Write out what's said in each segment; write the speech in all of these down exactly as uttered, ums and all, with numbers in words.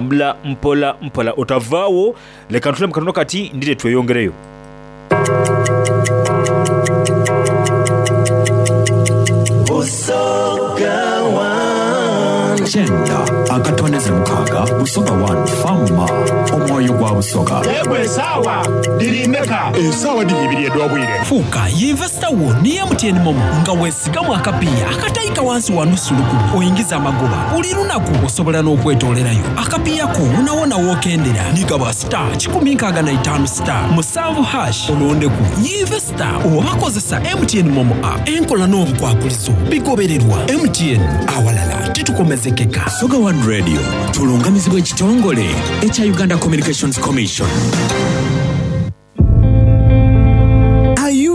Mbula mpola mpola otavaawo leka ntule mu katono kati ndire tweyongereyo. Busoga One. Kyenda akatondeze mukaaga Busoga One Fama omwoyo gwa Busoga. Egwe esaawa dhiri meka? Esaawa dhiri ibiri edh'obwire. Fuuka yinvesita wo ni M T N MoMo nga weesigamu akapiiya akataika wansi wa nusu lukumi oyingiza amagoba buli lunaku osobola n'okwetoolerayo akapiiya ko wonawona w'okendera nigaba star kikumi nkaaga na itaanu star musanvu hash olondeku yinvesita oba kozesa M T N MoMo app enkola n'obukwakulizo bigobererwa M T N awalala titukomezekeka. Busoga One Radio tulungamizibwa ekitongole ekya Uganda Communications Commission.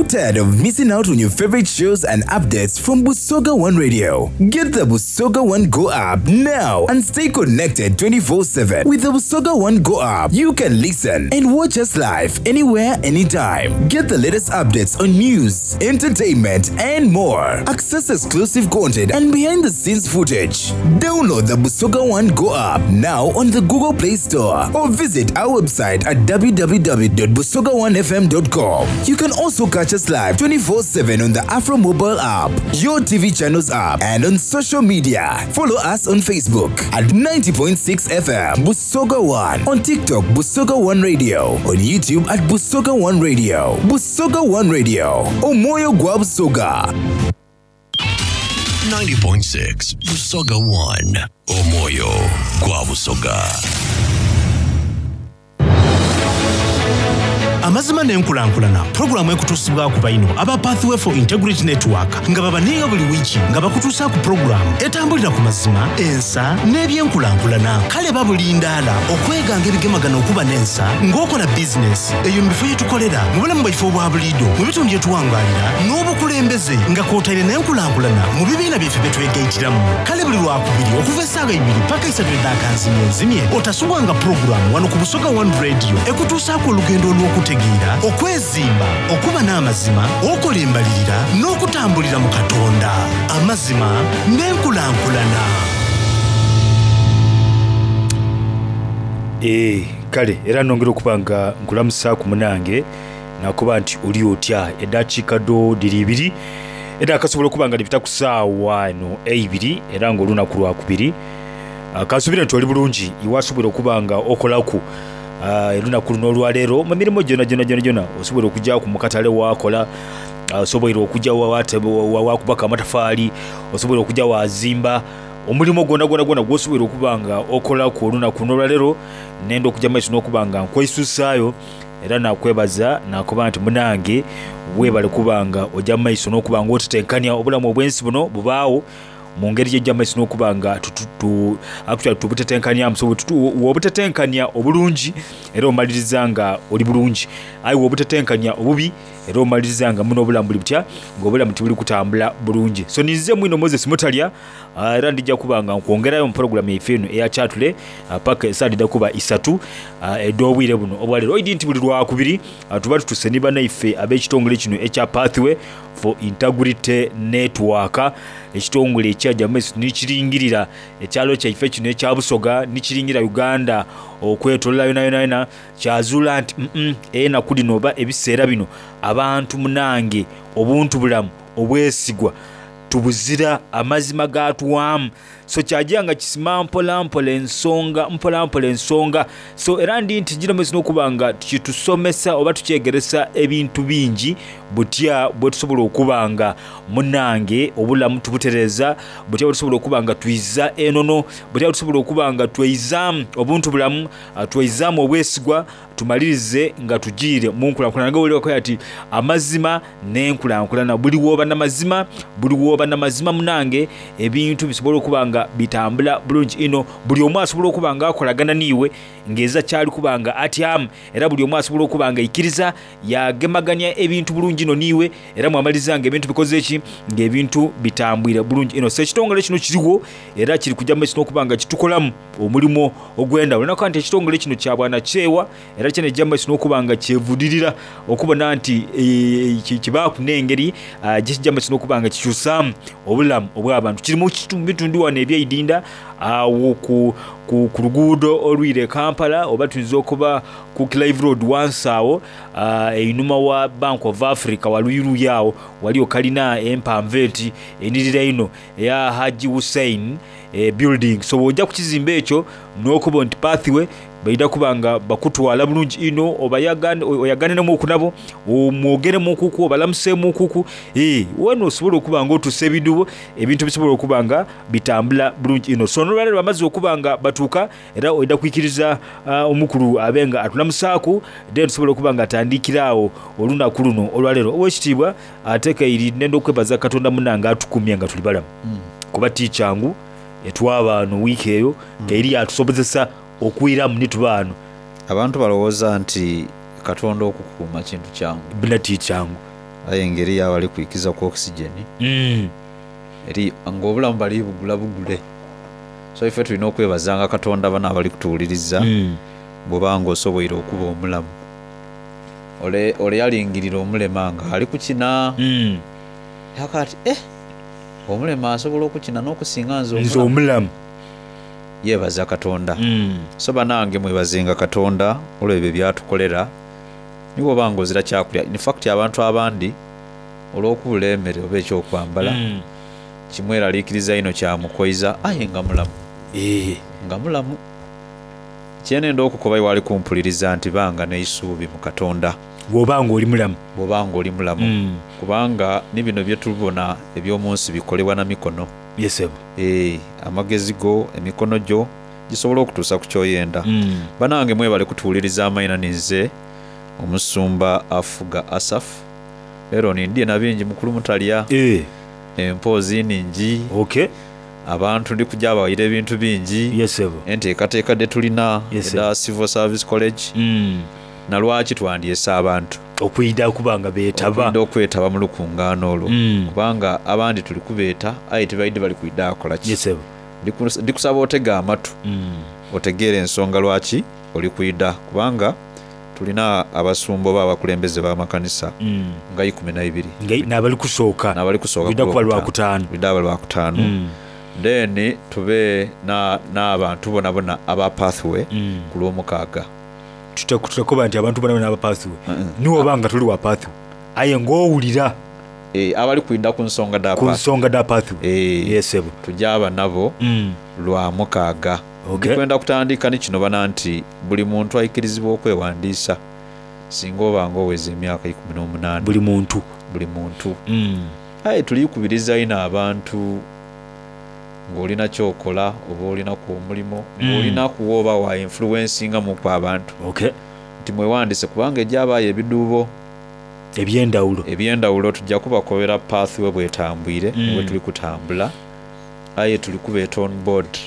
Tired of missing out on your favorite shows and updates from Busoga One Radio? Get the Busoga One Go app now and stay connected twenty-four seven. With the Busoga One Go app, you can listen and watch us live anywhere, anytime. Get the latest updates on news, entertainment, and more. Access exclusive content and behind-the-scenes footage. Download the Busoga One Go app now on the Google Play Store or visit our website at w w w dot busoga one f m dot com. You can also catch us live twenty-four seven on the Afro mobile app, your T V channels app, and on social media. Follow us on Facebook at ninety point six F M Busoga One, on TikTok Busoga One Radio, on YouTube at Busoga One Radio. Busoga One Radio, Omoyo gwa Busoga. ninety point six Busoga One, Omoyo gwa Busoga. Amazima n'enkulankulana pulogulaamu ekutuusibwa ku baino aba Pathway for Integrity Network nga babaninga buli wiiki nga bakutuusa ku pulogulaamu etambulira ku mazima, ensa n'ebyenkulankulana. Kale babulindaala okweganga ebigemagana okuba n'ensa ng'okola bizinesi eyo mu bifo gye tukolera mu bulamu bwaife obwa buliido mu bitundu gye tuwangaalira n'obukulembeze nga kw'otaire n'enkulankulana mu bibiina byaffe bye twegayitiramu. Kale buli lwakubiri okuva essaawa ibiri paka isatu eddakanzimyenzimye otasubwanga pulogulaamu wano ku Busoga One Radio ekutuusaako olugendo olw'okutegeera, okwezimba, okuba n'amazima, okola embalirira n'okutambulira mu Katonda. Amazima n'enkulankulana. Eh, kale era nongera okuba nga nkulamusa ku munange nakuba nti oli otya eddakiika do diri ibiri era akasobola okuba nga libita ku ssaawa eno eibiri era ng'olunaku lwakubiri. Kansubire nti oli bulungi iwasobola okuba nga okolaku olunaku luno olwaleero mu mirimu gyona gyona gyona gyona osobola okujja ku mukatale wakola, osobola okujja wakubaka amatafaali, osobola okujja wazimba omulimu gwona gwona gwona gwosobola okuba nga okolaku olunaku luno olwaleero. Nenda okujja maiso n'okuba nga nkwesusaayo era nakwebaza nakuba nti munange weebale kuba nga ojja maiso n'okuba nga otetenkanya obulamu obw'ensi buno bubaawo mu ngeri gy'ejja maiso n'okuba nga actually tubutetenkanya, so wobutetenkanya obulungi era omaliriza nga oli bulungi, aye wobutetenkanya obubi era omaliriza nga muno obulamu buli butya ng'obulamu tibuli kutambula bulungi. So ninze mwino Moses Mutalya, era ndijja kuba nga nkwongerayo mu pulogulaamu yaife eno eya Kyatule paka esaa didda kuba isatu ed'obwire buno obwaleero. Oidi nti buli lwakubiri tuba tutuse ni bannaife ab'ekitongole kino ekya Pathway for Integrity Network, ekitongole ekyajja maiso nikiringirira ekyalo kyaife kino ekya Busoga nikiringira Uganda okwetolola yona yona yona, kyazuula nti mm enaku dino oba ebiseera bino abantu munange obuntu bulamu obwesigwa tubuzira amazima gatuwamu. So kyajja nga kisima mpola mpola ensonga mpola mpola ensonga. So era ndi nti gino maiso n'okuba nga kitusomesa oba tukyegeresa ebintu bingi butya bwe tusobola okuba nga munange obulamu tubutereza, butya bwe tusobola okuba nga twiza enono, butya bwe tusobola okuba nga tweizaamu obuntu bulamu, tweizaamu obwesigwa, tumalirize nga tugiire mu nkulankulana. Nga wulira ati amazima n'enkulankulana, buli woba n'amazima, buli woba n'amazima munange ebintu bisobola okuba nga bitambula bulungi ino. Buli omu asobola okuba nga akolagana niiwe ng'eza kyali kuba nga atyamu, era buli omu asobola okuba nga aikiriza yagemaganya ebintu bulungi ino niiwe, era mwamaliriza nga ebintu bikoze ki ng'ebintu bitambwire bulungi ino. So ekitongole kino kiriwo era kiri kujja maiso n'okuba nga kitukolamu omulimu ogw'endawulo. Nakuba nti ekitongole kino kya bwanakyewa era kyene kijja maiso n'okuba nga kyevudirira okubona nti kibaaku n'engeri gye kijja maiso n'okuba nga kikyusaamu obulamu obw'abantu. Kiri mu bitundu wano ebyeidinda awo ku, ku, ku luguudo olwire Kampala oba tuyinza okuba ku Clive Road wansi awo uh, einhuma wa Bank of Africa waluyiruyi awo waliyo kalina empanvu eti enirira ino eya Haji Hussein eh, building. So bw'ojja ku kizimbe ekyo n'okuba nti Pathway baida kuba nga bakutwala bulungi ino oyaganiremu okunabo omwogeremu okuku obalamuseemu okuku eh, wano osobola okuba nga otuusa ebidubo ebintu bisobola okuba nga bitambula bulungi ino. So nolwaleero bamaze okuba nga batuuka era oida kwikiriza uh, omukulu abe nga atulamusaaku then tusobola okuba nga atandikira awo olunaku luno olwaleero. Owekitiibwa ate kairi nenda okwebaza Katonda munange atukumye nga tuli balamu mm. kuba tikyangu etwabaano wiiki eyo mm. kairi atusobozesa okwiramu nitubaano. Abantu balowooza nti Katonda okukuuma kintu kyangu bina tikyangu aye engeri yabali kwikiza ku oxygen mm. eri ng'obulamu bali bugula bugule. So ife tulina okwebazanga Katonda bana abali kutuwuliriza mm. bw'obanga osoboire okuba omulamu. Ole, ole yalingirira omulema nga ali kukina mm. yakati eh, omulema asobola okukina n'okusinga nze nze omulamu. Yebaza Katonda mm. So banange mwebazenga Katonda olw'ebyo byatukolera niwo banga ozira kyakulya. In fact abantu abandi olw'okubula emmere oba ekyokwambala mm. kimweraliikiriza ino kyamukoiza aye nga mulamu e. nga mulamu. Kyenenda okukoba iwali kumpuliriza nti banga n'eisuubi mu Katonda bw'obanga oli mulamu bw'obanga oli mulamu mm. kubanga ni bino bye tubona eby'omu nsi bikolebwa na mikono. Yesebo e, amagezi go emikono gyo gisobola okutuusa ku kyoyenda mm. Banange mwebale kutuwuliriza amaina ninze omusumba afuga Asaf. Leero nindye na bingi mukulu mutalya e. empoozi ningi okay. Abantu ndi kujja bawaire ebintu bingi yesebo enteekateeka de tulina eda Civil Service College mm. na lwaki twandyesa abantu okwida kubanga beetaba okwida okwetaba mu lukungaano olwo mm. kubanga abandi tuli kubeeta aye tebaidde bali kwida akola ki. Yesebo ndikusaba otega amatu mm. otegeere ensonga lwaki oli kwida kubanga tulina abasumba oba abakulembeze b'amakanisa mm. nga ikumi na ibiri n'abali kusooka n'abali kusooka lwida kuba lwakutaano lwida aba lwakutaano mm. Then tube n'abantu bona bona aba Pathway mm. ku lw'omukaaga. Tutakuba nti abantu bona bona aba Pathway mm -mm. niwo obanga tuli wa Pathway aye ng'owulira e, abali kwida ku nsonga da ku nsonga da Pathway e, yesebo tujaba nabo mm. lwa mukaaga. Okay. Ndikwenda kutandika ni kino bana nti buli muntu aikirizibwa okwewandiisa singa obanga oweza emyaka ikumi n'omunaana buli muntu buli muntu mm. Aye tulikubiriza ino abantu ng'olina kyokola oba olinaku omulimo Mm. ng'olinaku oba wa influencinga muku abantu okay. nti mwewandise kubanga ejjabaayo ebiduubo ebyendawulo ebyendawulo tujja kubakobera Pathway bwetambwire Mm. bwe tuli kutambula aye tuli kubeeta on board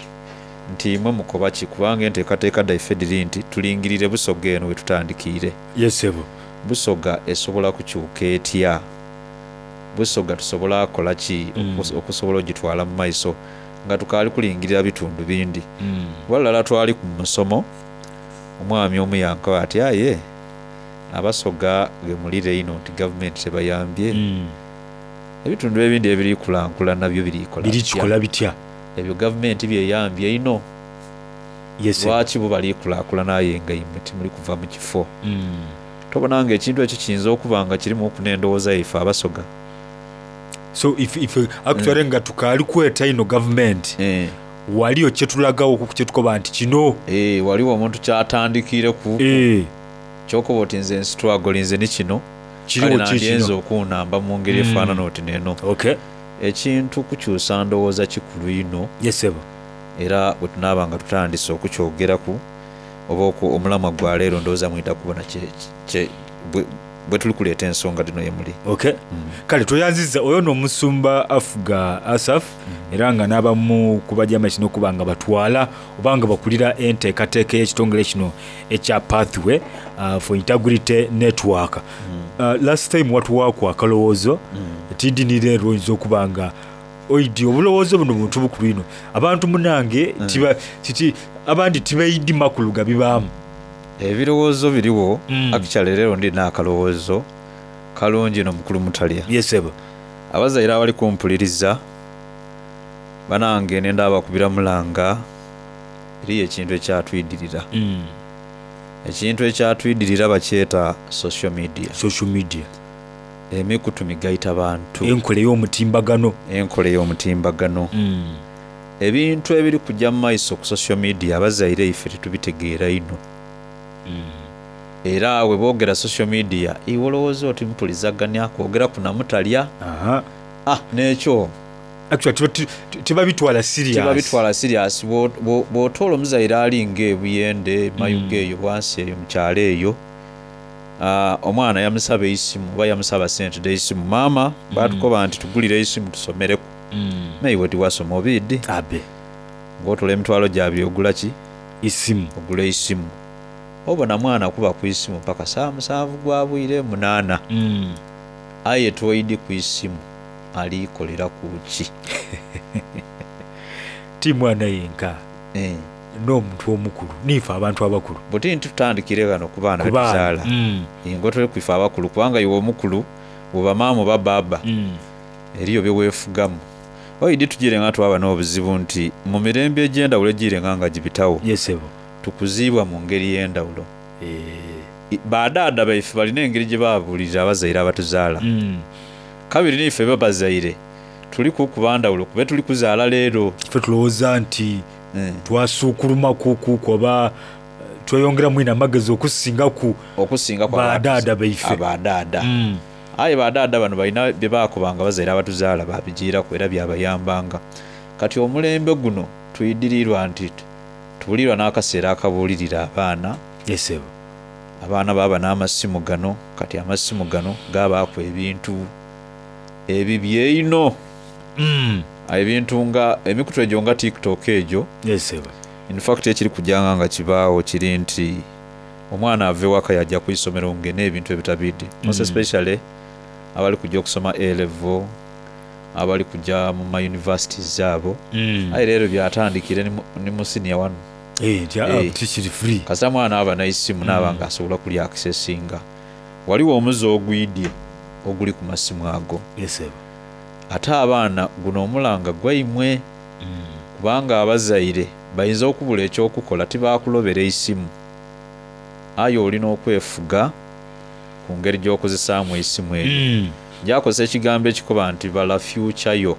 nti imwe mukoba ki kubanga enteekateeka daife diri nti tulingirire Busoga eno we tutandikiire. Yesebo Busoga esobola kukyuka etya? Busoga tusobola akola ki Mm. okusobola ogitwala mu maiso nga tukaali kulingirira bitundu bindi. mm. Walala twali ku musomo omwami omu yankoba ati aye abasoga gemulire ino nti gavumenti tebayambye mm. ebitundu ebindi ebirikulankulana nabyo birikola birikikola bitya ebyo gavumenti byeyambye ino yesebo lwaki bo balikulaakulana aye nga imwe timuli kuva mu kifo. mm. Tobona nga ekintu ekyo kiyinza okuba nga kirimu oku n'endowooza yaife abasoga so if, if actually mm. nga tukaali kweta ino gavumenti eh. waliyo kyetulagawo ku kyetukoba nti kino eh, waliwo omuntu kyatandikire ku eh. kyokuba oti nze nsitwagolinze ni kino kiriwo nandyenza okunamba mu ngeri Mm. efaanana oti neno okay. ekintu kukyusa ndowooza kikulu ino yesebo era bwe tunaaba nga tutandise okukyogeraku oba omulamwa gwa leero ndowooza mwida kubona bwe tuli kuleeta ensonga dino yemuli. Okay. Mm. Kale toyanziza oyo n'omusumba afuga Asaf mm. era nga n'abamu ku bajama kino okuba nga batwala oba nga bakulira enteekateeka y'ekitongole kino ekya Pathway uh, for Integrity Network. Mm. Uh, last time watuwaaku akalowoozo mm. tindi leero oyinza okuba nga oidi obulowoozo buno buntu bukulu ino abantu munange mm. tiba, titi, abandi tibaidi makulu gabibaamu ebirowoozo biriwo mm. actually leero ndina akalowoozo kalungi no mukulu mutalya yesebo abazaire abali kumpuliriza Banange nenda abakubira mulanga eriyo ekintu ekyatwidirira. Mm. Ekintu ekyatwidirira bakyeta social media. Social media. Emikutu migaita bantu. Enkola ey'omutimbagano. Enkola ey'omutimbagano. Mm. Ebintu ebiri kujja mu maiso ku social media abazaire ife titubitegeera ino. Mm. Era we boogera social media iwe olowooza oti mpulizaganya kwogera kunamutalya. Aha. Ah, n'ekyo Actually tibabitwala serious. Tibabitwala serious. Bw'otoola omuzaire alinga ebuyende mayuga eyo bwansi eyo mu kyalo eyo, uh, omwana yamusaba eisimu oba yamusaba sente dh'eisimu, maama batukoba nti tugulire eisimu tusomereku. Mm. Naiwe tiwasoma obiidi. Abe. Ng'otoola emitwalo gyabiri ogula ki? Isimu. Ogula eisimu. Obona mwana kuba ku isimu paka saa musanvu gwa bwire munaana. Mm. Aye toidi ku isimu alikolera ku ki? Ti mwana yenka. Eh. N'omuntu omukulu niife abantu abakulu. Buti nti tutandikire ghano ku baana Ku baana. betuzaala. Mm. Ngo tuli kwife abakulu kubanga iwe omukulu bw'oba maama oba baaba Mm. eriyo bye weefugamu. Oidi tugire nga twaba n'obuzibu nti mu mirembe egy'endawulo egirenga nga gibitawo. Yesebo. Tukuziibwa mu ngeri y'endawulo. Eh. Badaada baife balina engeri gye babuulirira abazaire abatuzaala. Mm. Kabiri niife babazaire tuli kukuba ndawulo kube tuli kuzaala leero. Ffe tulowooza nti Mm. twasuukulumakuku oba tweyongeramu ino amagezi okusingaku okusinga ku badaada baife. Abadaada. Mm. Aye badaada bano balina bye baakobanga abazaire abatuzaala babigiiraku era byabayambanga. Kati omulembe guno tuyidirirwa nti tubulirwa n'akaseera akabuulirira abaana. Yesebo. Abaana baaba n'amasimu gano, kati amasimu gano gabaaku ebintu ebibye ino. Mm. Ebintu nga emikutu egyo nga TikTok egyo. Yesebo. In fact ekiri kujanga nga kibaawo kiri nti omwana ava ewaka yajja ku isomero ng'ena ebintu ebitabidde. Most Mm. especially abali kujja okusoma A level, abali kujja mu ma universities abo. Mm. Aye leero byatandikire ni mu senior one. Eh, nti, ah, Eh. tikiri free. Kasita mwana aba n'eisimu n'aba nga asobola kulya accessinga. Waliwo omuze ogwidye oguli ku masimu ago. Yesebo. Ate abaana guno omulanga gwaimwe. Kubanga abazaire bayinza okubula ekyokukola tibaakulobera eisimu. Aye olina okwefuga ku ngeri gy'okozesaamu eisimu eryo. Mm. Njakozesa ekigambo ekikoba nti bala future yo.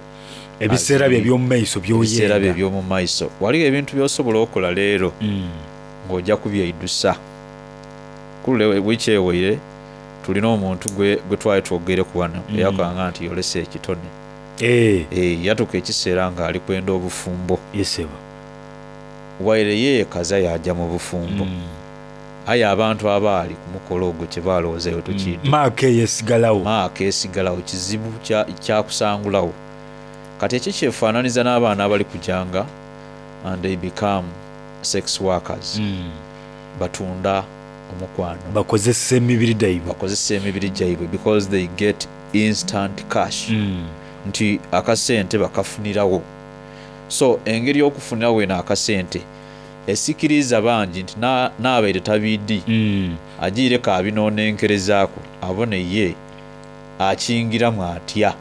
Ebiseera bye eby'omu maiso by'oyenda. Ebiseera bye eby'omu maiso. Waliwo ebintu by'osobola okukola leero Mm. ng'ojja kubyeidusa. Kulule wiiki eweire tulina omuntu gwe, gwe twali twogereku wano Mm. eyakanga nti yolesa ekitone. Eh. Eh, yatuuka ekiseera ng'ali kwenda obufumbo. Yesebo. Waire yeekaza yajja mu bufumbo. Mm. Aye abantu abaali ku mukolo ogwo kye balowoozayo tukiidde. Maaka eyo esigalawo. Maaka esigalawo kizibu kya, kyakusangulawo. Kati ekyo kyefaananiza n'abaana abali kujanga and they become sex workers. Mm. Batunda omukwano. Bakozesa emibiri gyaibwe. Bakozesa emibiri gyaibwe because they get instant cash. Mm. Nti akasente bakafunirawo. So engeri y'okufunirawo eno akasente esikiriza bangi nti n'abaire tabiidi. Mm. Agiireko abinoonenkerezaako abone ye akingiramu atya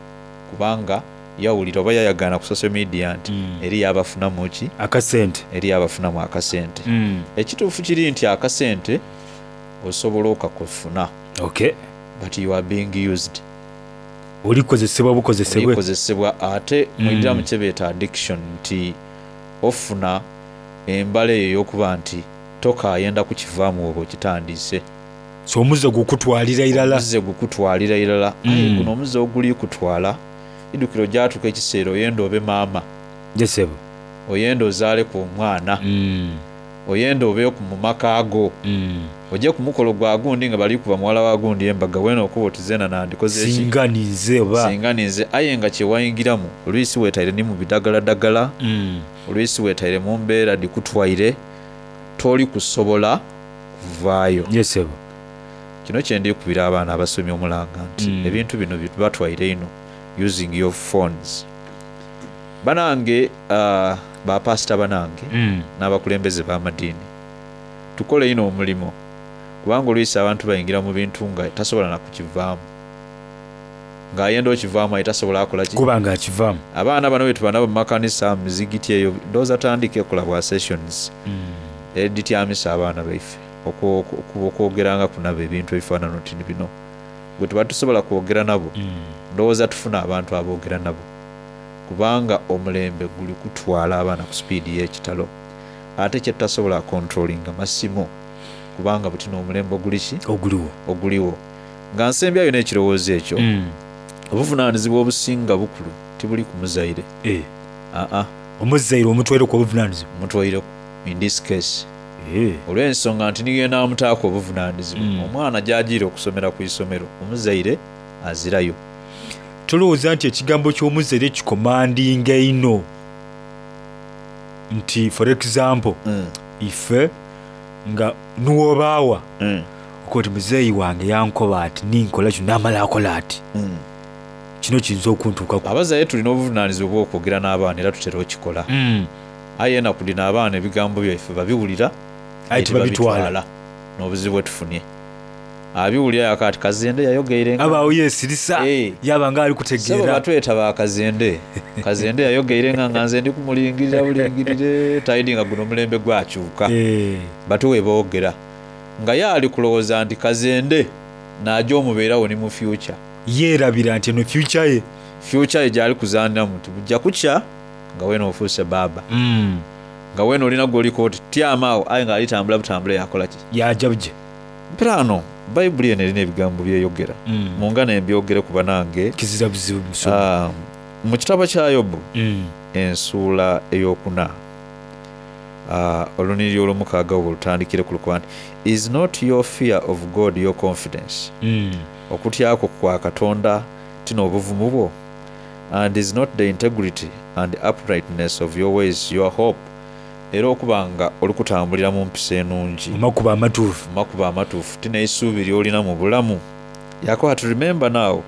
kubanga yawulira oba yayagaana ku social media nti Mm. eri yabafunamu ki? Akasente. Eri yabafunamu akasente. Mm. Ekituufu kiri nti akasente osobola okakufuna. Okay. But you are being used. Olikozesebwa bukozesebwe. Olikozesebwa ate Mm. mwidira mu kye beeta addiction nti ofuna embala eyo ey'okuba nti tokaayenda kukivaamu oba okitandise. So omuze gukutwalira irala. Omuze gukutwalira irala. Mm. Aye guno omuze oguli kutwala idukiro gyatuuka ekiseera oyenda obe maama. Yesebo. Oyenda ozaaleku omwana. Mm. Oyenda obeeku mu maka go. Mm. Ojje ku mukolo gwa gundi nga bali kuba muwala wa gundi embaga weena okuba oti zeena nandikoze ki? Singa ninze oba. Singa ninze aye nga kye wayingiramu olwisi weetaire ni mu bidagaladagala. Mm. Olwisi weetaire mu mbeera dikutwaire toli kusobola kuvaayo. Yesebo. Kino kye ndikubira abaana abasomi omulanga nti Mm. ebintu bino bibatwaire ino using your phones. Banange uh, bapasita banange Mm. n'abakulembeze b'amadiini tukole ino omulimu kubanga olwisi abantu bayingira mu bintu nga tasobola na kukivaamu. Ng'ayenda okivaamu aye tasobola akola ki? Kuba nga akivaamu. Abaana bano bwe tuba nabo mu makanisa, mu mizigiti eyo, ndowooza tandika ekola bwa sessions edityamisa abaana baife okwogerangaku nabo ebintu ebifaanana oti ni bino. Bwe tuba tusobola kwogera nabo, ndowooza tufuna abantu aboogera nabo, kubanga omulembe guli kutwala abaana ku sipiidi y'ekitalo. Ate kye tutasobola kontrolinga masimu, kubanga buti n'omulembe oguli ki? Oguliwo. Oguliwo. Nga nsembyayo n'ekirowoozo ekyo, obuvunaanyizibwa obusinga bukulu tibuli ku muzaire. Aa. Omuzaire omutwaireku obuvunaanyizibwa? Mutwaireku in this case. Olw'ensonga nti niyo enaamutaaku obuvunaanyizibwa. Omwana gy'ajiire okusomera ku isomero, omuzaire azirayo. Tolowooza nti ekigambo ky'omuzaire kikomandinga einho nti for example ife nga niwobaawa okoba oti muzeeyi wange yankoba ati ninkola kino namala akola ati kino kiyinza okuntuukaku. Abazaire tulina obuvunaanyizibwa obw'okwogera n'abaana era tutera okikola. Aye enaku dhino abaana ebigambo byaife babiwulira aye tibabitwala. N'obuzibu bwe tufunye. Abiwulira yaka ati Kazende yayogeire nga Abaawo yeesirisa yaba nga ali kutegeera. Ssebo batweta ba Kazende. Kazende yayogeire nga nga nze ndi kumulingirira bulingirire taidi nga guno omulembe gwakyuka. Batyo bwe boogera. Nga ye ali kulowooza nti Kazende n'aja omubeerawo ni mu future. Yeerabira nti eno future ye. Future ye gy'ali kuzaaniramu nti buja kukya nga weena ofuuse baaba. Nga weena olina gw'oliko oti tyama agho aye nga alitambula butambule yakola ki? Yaaja buje. Mperaano Bayibuli eno erina ebigambo by'eyogera. Mungane mbyogereku banange. Kizira buzibu musumba. Mu kitabo kya Yobu ensuula eyokuna olunhiriri olwomukaaga obwo lutandikireku lukoba nti, Is not your fear of God your confidence? Okutya kwo kwa Katonda ti n'obuvumu bwo? And is not the integrity and uprightness of your ways your hope? Era okuba nga oli kutambulira mu mpisa enungi, Mu makubo amatuufu. mu makubo amatuufu, ti n'eisuubi ly'olina mu bulamu. Yakoba ati, Remember now,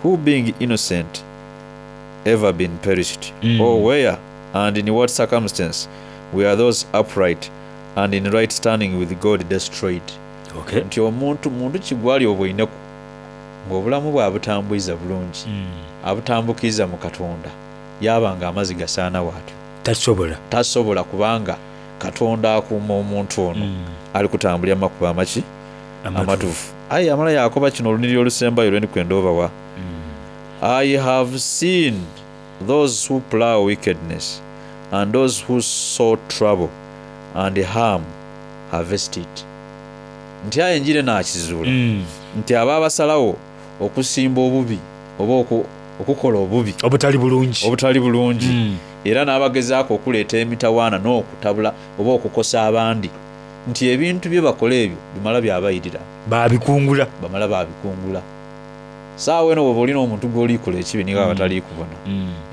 who being innocent ever been perished? Or where and in what circumstance were those upright and in right standing with God destroyed? Okay. Nti omuntu muntu ki gwali obweineku ng'obulamu bwe abutambwiza bulungi, abutambukiiza mu Katonda, yaaba nga amazi gasaanawo atyo? Tasobola. Tasobola, kubanga Katonda akuuma omuntu ono ali kutambulira mu makubo amaki? Amatuufu. Aye yamala yakoba kino olunhiriri olusembayo lwe ndi kwenda obawa. I have seen those who plow wickedness and those who sow trouble and harm harvest it. Nti aye njire naakizuula nti abo abasalagho okusimba obubi oba okukola obubi obutali bulungi, obutali bulungi, era n'abagezaaku okuleeta emitawaana n'okutabula oba okukosa abandi, nti ebintu bye bakola ebyo bimala byabairira. Baabikungula. Bamala baabikungula. Saawa eno bw'oba olina omuntu gw'olikola ekibi ni ghaba tali kubona,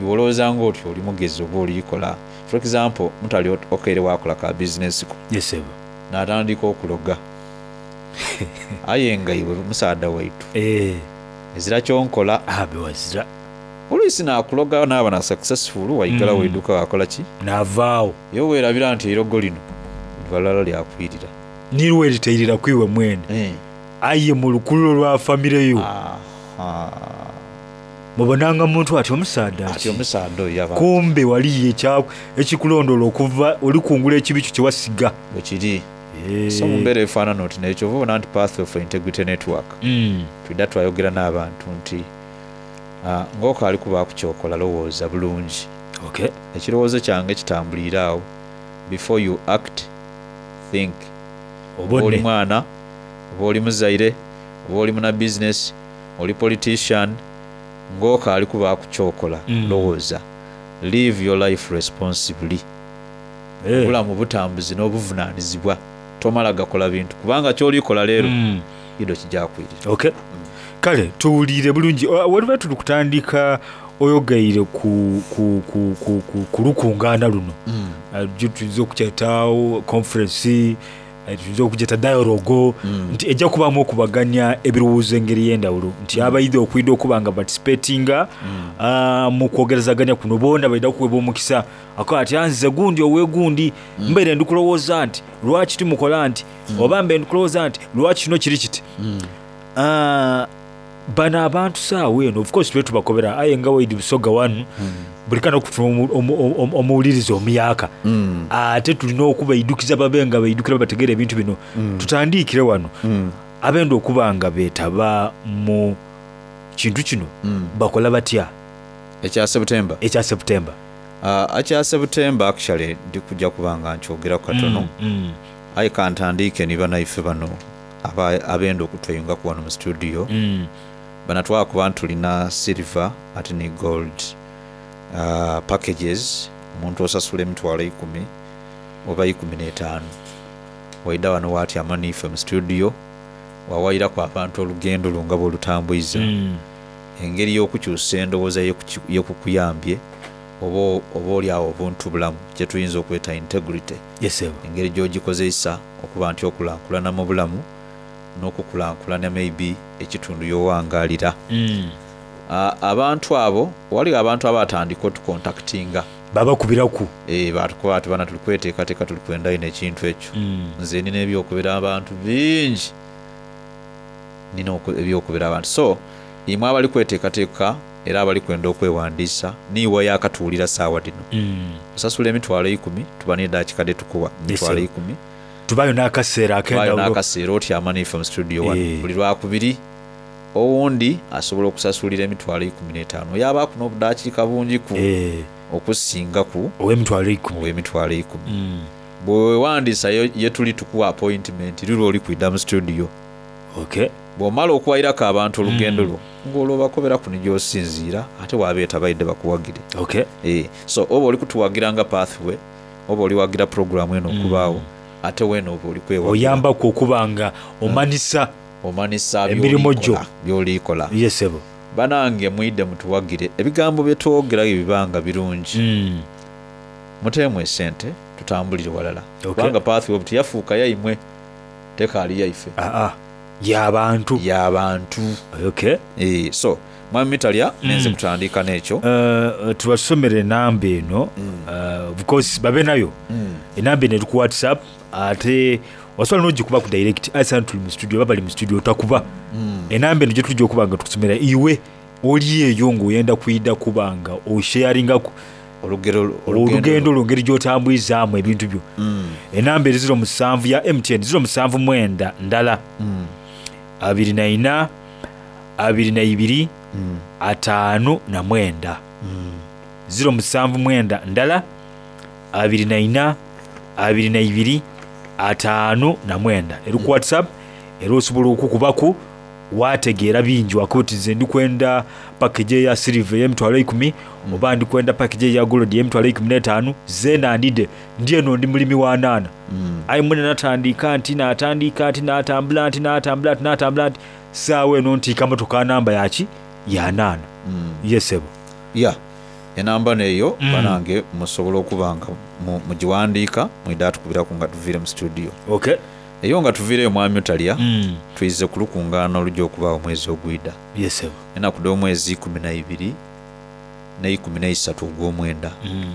iwe olowooza ng'oti oli mugezi oba olikola. For example, mutali okeire waakola ka bizinesi ko. Yes, sebo. N'atandika okuloga. Aye nga iwe musaadha waitu. Ezira ky'onkola. Abe wazira. Oluisi naakuloga naaba na successful, waigalawo eiduuka waakola ki? Naavaagho. Iwe weerabira nti eirogo lino liba lulala lyakwirira. Ni lwe litairira ku iwe mwene. Aye mu lukululo lwa famire yo. Mubonanga muntu ati omusaadha ati omusaadha oyo yaba. Kumbe waliyo ekikulondola okuva olikungula ekibi kyo kye wasiga. Bwe kiri. So mu mbeera efaanana oti n'ekyo oba obona nti Pathway for Integrity Network twidha twayogera n'abantu nti ng'okaali kubaaku ky'okola lowooza bulungi. Ekirowoozo kyange kitambuliire agho. Before you act, think. Oba oli mwana, oba oli muzaire, oba oli muna business, oli politician, ng'okaali kubaaku ky'okola lowooza. Live your life responsibly. Obulamu butambuzi n'obuvunaanyizibwa. Tomala gakola bintu kubanga ky'olikola leero ido kijja kwirira. Okay. Kale tuwulire bulungi. Waliba tuli kutandika oyogeire ku, ku, ku, ku, ku, ku lukungaana luno. Tuyinza okukyeta conference, tuyinza okugyeta dialogue, nti ejja kubaamu okubaganya ebirowoozo engeri y'endawulo nti abaidha okwidha okuba nga participatinga mu kwogerezaganya kuno boona baidha kuweebwa omukisa. Akoba ati anze gundi owegundi mbaire ndi kulowooza nti lwaki timukola nti oba mbaire ndi kulowooza nti lwaki kino kiri kiti. Bano abantu saawa eno of course tube tubakobera aye nga waidi Busoga wanu buli kana okufuna omuwuliriza omuyaka Mm. ate tulina okubaidukiza babe nga baidukira bategeera ebintu bino. Mm. Tutandikire wano Mm. abenda okuba nga beetaba mu kintu kino Mm. bakola batya? Ekya September, Ekya September. uh, ekya September actually ndikujja kuba nga nkyogeraku katono. Mm, mm. Aye kantandiike ni banaife bano aba- abenda okutweyungaku wano mu studio. Mm. Banatwakuba nti tulina silver ate ni gold uh, packages. Omuntu osasula emitwalo ikumi oba ikumi n'etaano waida wano watyama niife mu studio wawairaku abantu olugendo lwo nga bwolutambwiza. Mm. Engeri y'okukyusa endowooza yekuki- yekukuyambye oba oba oli awo obuntu bulamu kyetuyinza okweta integrity. Yes, sir. Engeri gy'ogikozesa okuba nti okulankulana mu bulamu n'okukulankulana maybe ekitundu y'owangalira. Mm. Ah, abantu abo waliwo abantu abatandika otukontaktinga. Babakubiraku. Eh, batukuba ati bana tuli kweteekateeka tuli kwenda ino ekintu ekyo. Mm. Nze nina ebyokubira abantu bingi, nina oku- ebyokubira abantu, so imwe abali kweteekateeka era abali kwenda okwewandiisa niiwe yakatuwulira saawa dino. Mm. Osasula emitwalo ikumi tuba n'edakiika detukuwa emitwalo sir. ikumi. Tubayo n'akaseera Tubayo ak'endawulo. n'akaseera otyama naife mu studio wano Eh. buli lwakubiri. Owundi asobola okusasulira emitwalo ikumi n'etaano yabaaku n'obudakiika bungiku Eh, okusingaku ow'emitwalo ikumi. ow'emitwalo ikumi. Mm. Bwewewandiisa ye ye tuli tukuwa appointment luli oli kwidda mu studio. Okay. Bw'omala okuwayirako abantu olugendo lwo ng'olwo bakoberaku ni gy'osinziira ate wabeeta baidde bakuwagire. Okay. Eh, so oba oli kutuwagira nga pathway oba oliwagira programu eno okubaawo ate weeno oba oli kwewagira. Oyambaku okuba nga omanisa omanisa emirimu gyo. by'olikola- by'olikola. Yesebo. Banange mwidde mutuwagire ebigambo byetwogera bibanga birungi. Mm. Muteemu esente tutambulire walala. Okay. Kubanga pathway obu teyafuuka yaimwe, tekaali yaife. Aa, y'abantu. Y'abantu. Okay. Eh, so mwami Mitalya nenze kutandika n'ekyo. Uh, tubasomere enamba eno. Uh, of course babe nayo enamba eno eri ku WhatsApp ate osobola n'ogikuba ku direct aisa tuli mu studio baba bali mu studio otakuba enamba eno gye tujja okuba nga tukusomera iwe oli eyo ng'oyenda kuyida kuba nga osharingaku olugero olugendo lwo ngeri gy'otambwizaamu ebintu byo. Enamba eri ziro musanvu ya M T N ziro musanvu mwenda ndala abiri na ina abiri na ibiri ataano na mwenda, ziro musanvu mwenda ndala abiri na ina abiri na ibiri ataano na mwenda eri ku WhatsApp era osobola okukubaku wategeera bingi wakuba oti nze ndikwenda package eya silver ey'emitwalo ikumi oba ndikwenda package eya gold ey'emitwalo ikumi n'etaano zenandide ndi eno ndi mulimi wa naana aye mwene natandika nti natandika nti natambula nti natambula nti natambula nti saawa eno ntiika motoka namba yaki ya naana yesebo. Ya enamba neeyo Mm. banange musobola okuba nga mu- mugiwandiika mwidde atukubiraku nga tuviire mu studio. Okay. Eyo nga tuviireyo mwami Otalya Mm. twize ku lukungaana olujja okubaawo omwezi ogwida. Yesebo. Enaku dh'omwezi ikumi na ibiri n'eikumi n'eisatu ogw'omwenda. Mm.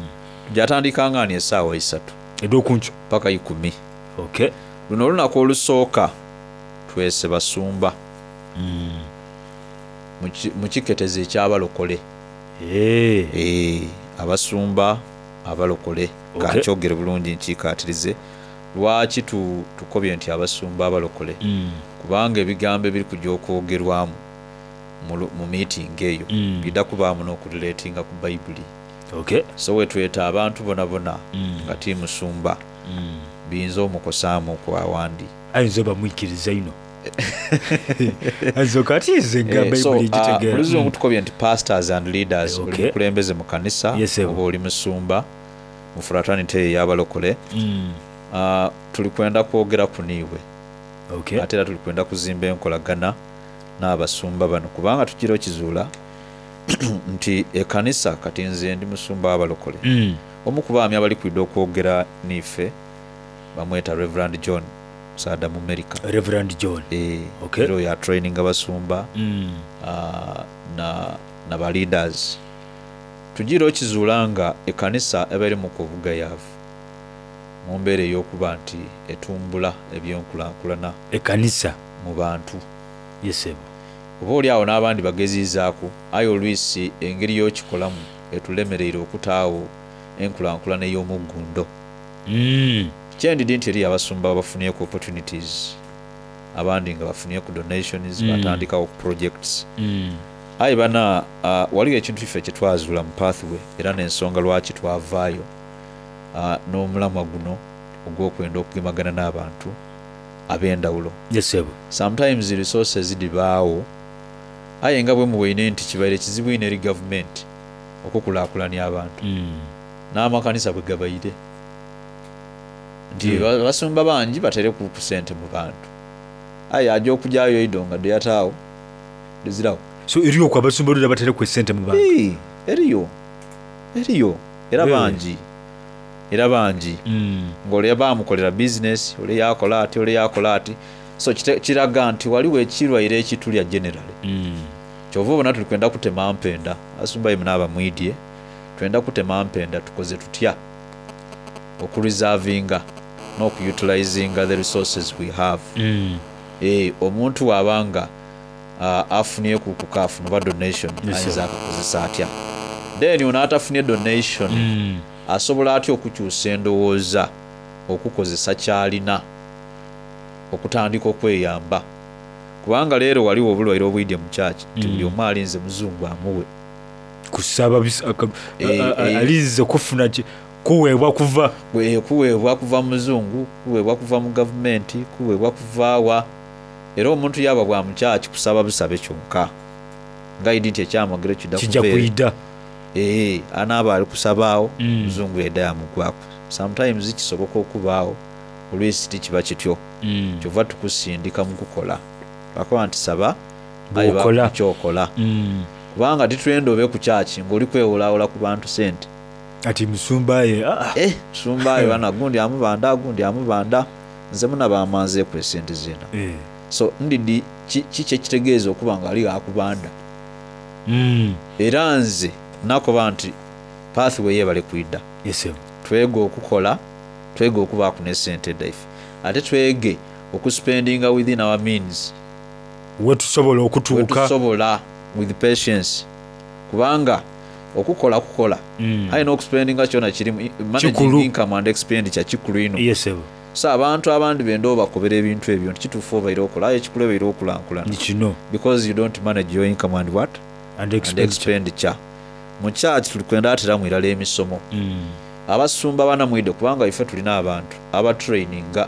Gyatandika nga ni esaawa isatu ed'okunkyo paka ikumi. Okay. Luno olunaku olusooka twese basumba mu ki- mu kiketezo ekyabalokole. Eh. Eh, abasumba abalokole. Okay. Kankyogere bulungi nkiikaatirize lwaki tu- tukobye nti abasumba abalokole. Mm. Kubanga ebigambo ebiri kujja okwogerwamu mu lu- mu miitingi eyo Mm. bidda kubaamu n'okulireetinga ku bayibuli. Okay. So wetweta abantu bona bona Mm. nga ti musumba Mm. biyinza omukosaamu okwawandi. Ayinza bamwikiriza ino ayinza okatiize nga Eh, so, bayibuli ah, gitegeera. mu luzungu tukobye nti pastors and leaders. Eh, Oli okay. mukulembeze mu kanisa Yes, sir. oba oli musumba mu fraternity eyo ey'abalokole. Mm. Ah, tuli kwenda kwogera ku niiwe. Okay. Ate era tuli kwenda kuzimba enkolagana n'abasumba bano kubanga tugira okizuula nti ekanisa kati nze ndi musumba w'abalokole. Mm. Omu ku baami abali kwidde okwogera niife bamweta Reverand John musaada mu America. Reverand John. Eh, Okay. era oyo atraininga basumba Mm. ah, na, na ba leaders. Tugira okizuula nga ekanisa eba eri mu kubugayaavu mu mbeera ey'okuba nti etumbula ebyenkulankulana Ekanisa mu bantu. Yesebo. Oba oli awo n'abandi bagezizaaku, aye olwisi engeri y'okikolamu etulemereire okutaawo enkulankulana ey'omuggundo. Mm. Kyendidi nti eriyo abasumba abafunyeku opportunities, abandi nga bafunyeku donations, Mm. batandikawo projects. Mm. Aye bana uh, waliwo ekintu ife kyetwazuula mu pathway era n'ensonga lwaki twavaayo uh, n'omulamwa guno ogw'okwenda okugemagana n'abantu ab'endawulo. Yes, sebo. Sometimes resources dhibaawo, aye nga bwe muwaine nti kibaire kizibu ino eri gavumenti okukulaakulanya abantu Mm. n'amakanisa bwe gabaire nti Mm. ba- basumba bangi batere ku ku sente mu bantu, aye aja okujyayo eido nga deyataawo dezirawo. So eriyo okwo abasumba oludda batereku esente mu bantu? Ee, eriyo eriyo era Really? bangi, era bangi Mm. ng'ole bamukolera bizinesi, ole yakola ati, ole yakola ati, so kite- kiraga nti waliwo ekirwaire ekitulya generally. Mm. Kyova obona tuli kwenda kutema mpenda, asumba imwe n'abamwidye twenda kutema mpenda, tukoze tutya okureservinga n'okutilizinga the resources we have. Mm. E, omuntu waabanga uh, afunyeku kukafuna oba donation, Yes, ayinza sir. akakozesa atya? Then ono atafunye donation Mm. asobola atya okukyusa endowooza okukozesa kyalina okutandika okweyamba? Kubanga leero waliwo obulwaire obwidye mu kyaki nti buli omu alinze muzungu amuwe. Kusaba bis- aka- Eh, a- a- eh. alinze kufuna ki- kuweebwa kuva Bwe- kuweebwa kuva mu muzungu, kuweebwa kuva mu gavumenti, kuweebwa kuvaawa. Era omuntu yaba bwa mukyaki kusaba busabe kyonka nga idi nti ekyamagero kidda kijja kuva ere. kuyida. Ee, anaaba ali kusabaawo, Mm. muzungu yedda yamugwaku. Sometimes kisoboka okubaawo, olwisi tikiba kityo. Mm. Kyova tukusindika mu kukola, lwakuba nti saba aye Bw'okola. bakukyokola, Mm. kubanga titwenda obe ku kyaki ng'oli kwewolawola ku bantu sente. Ati musumba ye ah, ah. Eh, sumba ayo bana gundi amubanda, gundi amubanda, nze munaba amanzeeku esente zena. Eh. So ndidi ki ki kyekitegeeza okuba nga ali akubanda? Mm. Era nze nakoba nti pathway yebale kwidda. Yes, sir. Twege okukola, twege okubaaku ne sente daife, ate twege okuspendinga within our means, wetusobola okutuuka. Wetusobola with patience, kubanga okukola kukola, Mm. aye n'okuspendinga kyona kirimu managing Kikulu. income and expenditure kikulu ino. Yes, sir. So abantu abandi benda obakobera ebintu ebyo nti kituufu obaire okola, aye ekikulu ebaire okulankulana Ni kino because you don't manage your income and what and and expenditure. expenditure. Mu kyaki tuli kwenda ateramu irala emisomo. Mm. Abasumba banamwide, kubanga ife tulina abantu abatraininga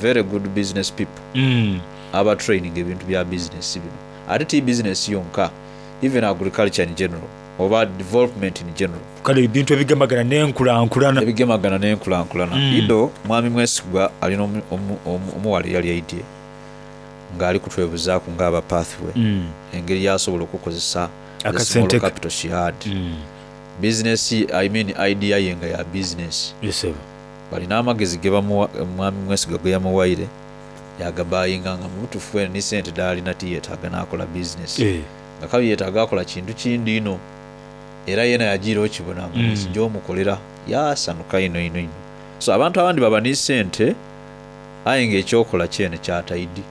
very good business people, Mm. abatraining ebintu bya business bino, ate ti business yonka, even agriculture in general oba development in general. Kale ebintu ebigemagana n'enkulankulana. Ebigemagana n'enkulankulana. Mm. Ido mwami Mwesigwa alina omu- omu- omu- omuwala eyali aidye ng'ali kutwebuzaaku ng'aba pathway, Mm. engeri yasobola okukozesa the Akasente small ke. capital she had, Mm. business, I mean idea ye nga ya business. Yes, sir. Balina amagezi ge bamuwa, mwami Mwesigwa ge yamuwaire yagabayinga nga mubutuufu ene ni sente daalina tiyeetaaga n'akola business, Eh. nga kabi yeetaaga akola kintu kindi ino, era yena yagiira okibona nga Mm. nekijja omukolera yasanuka ino ino ino. So abantu abandi baba ni sente, aye ngaekyokola kyene kyataidi.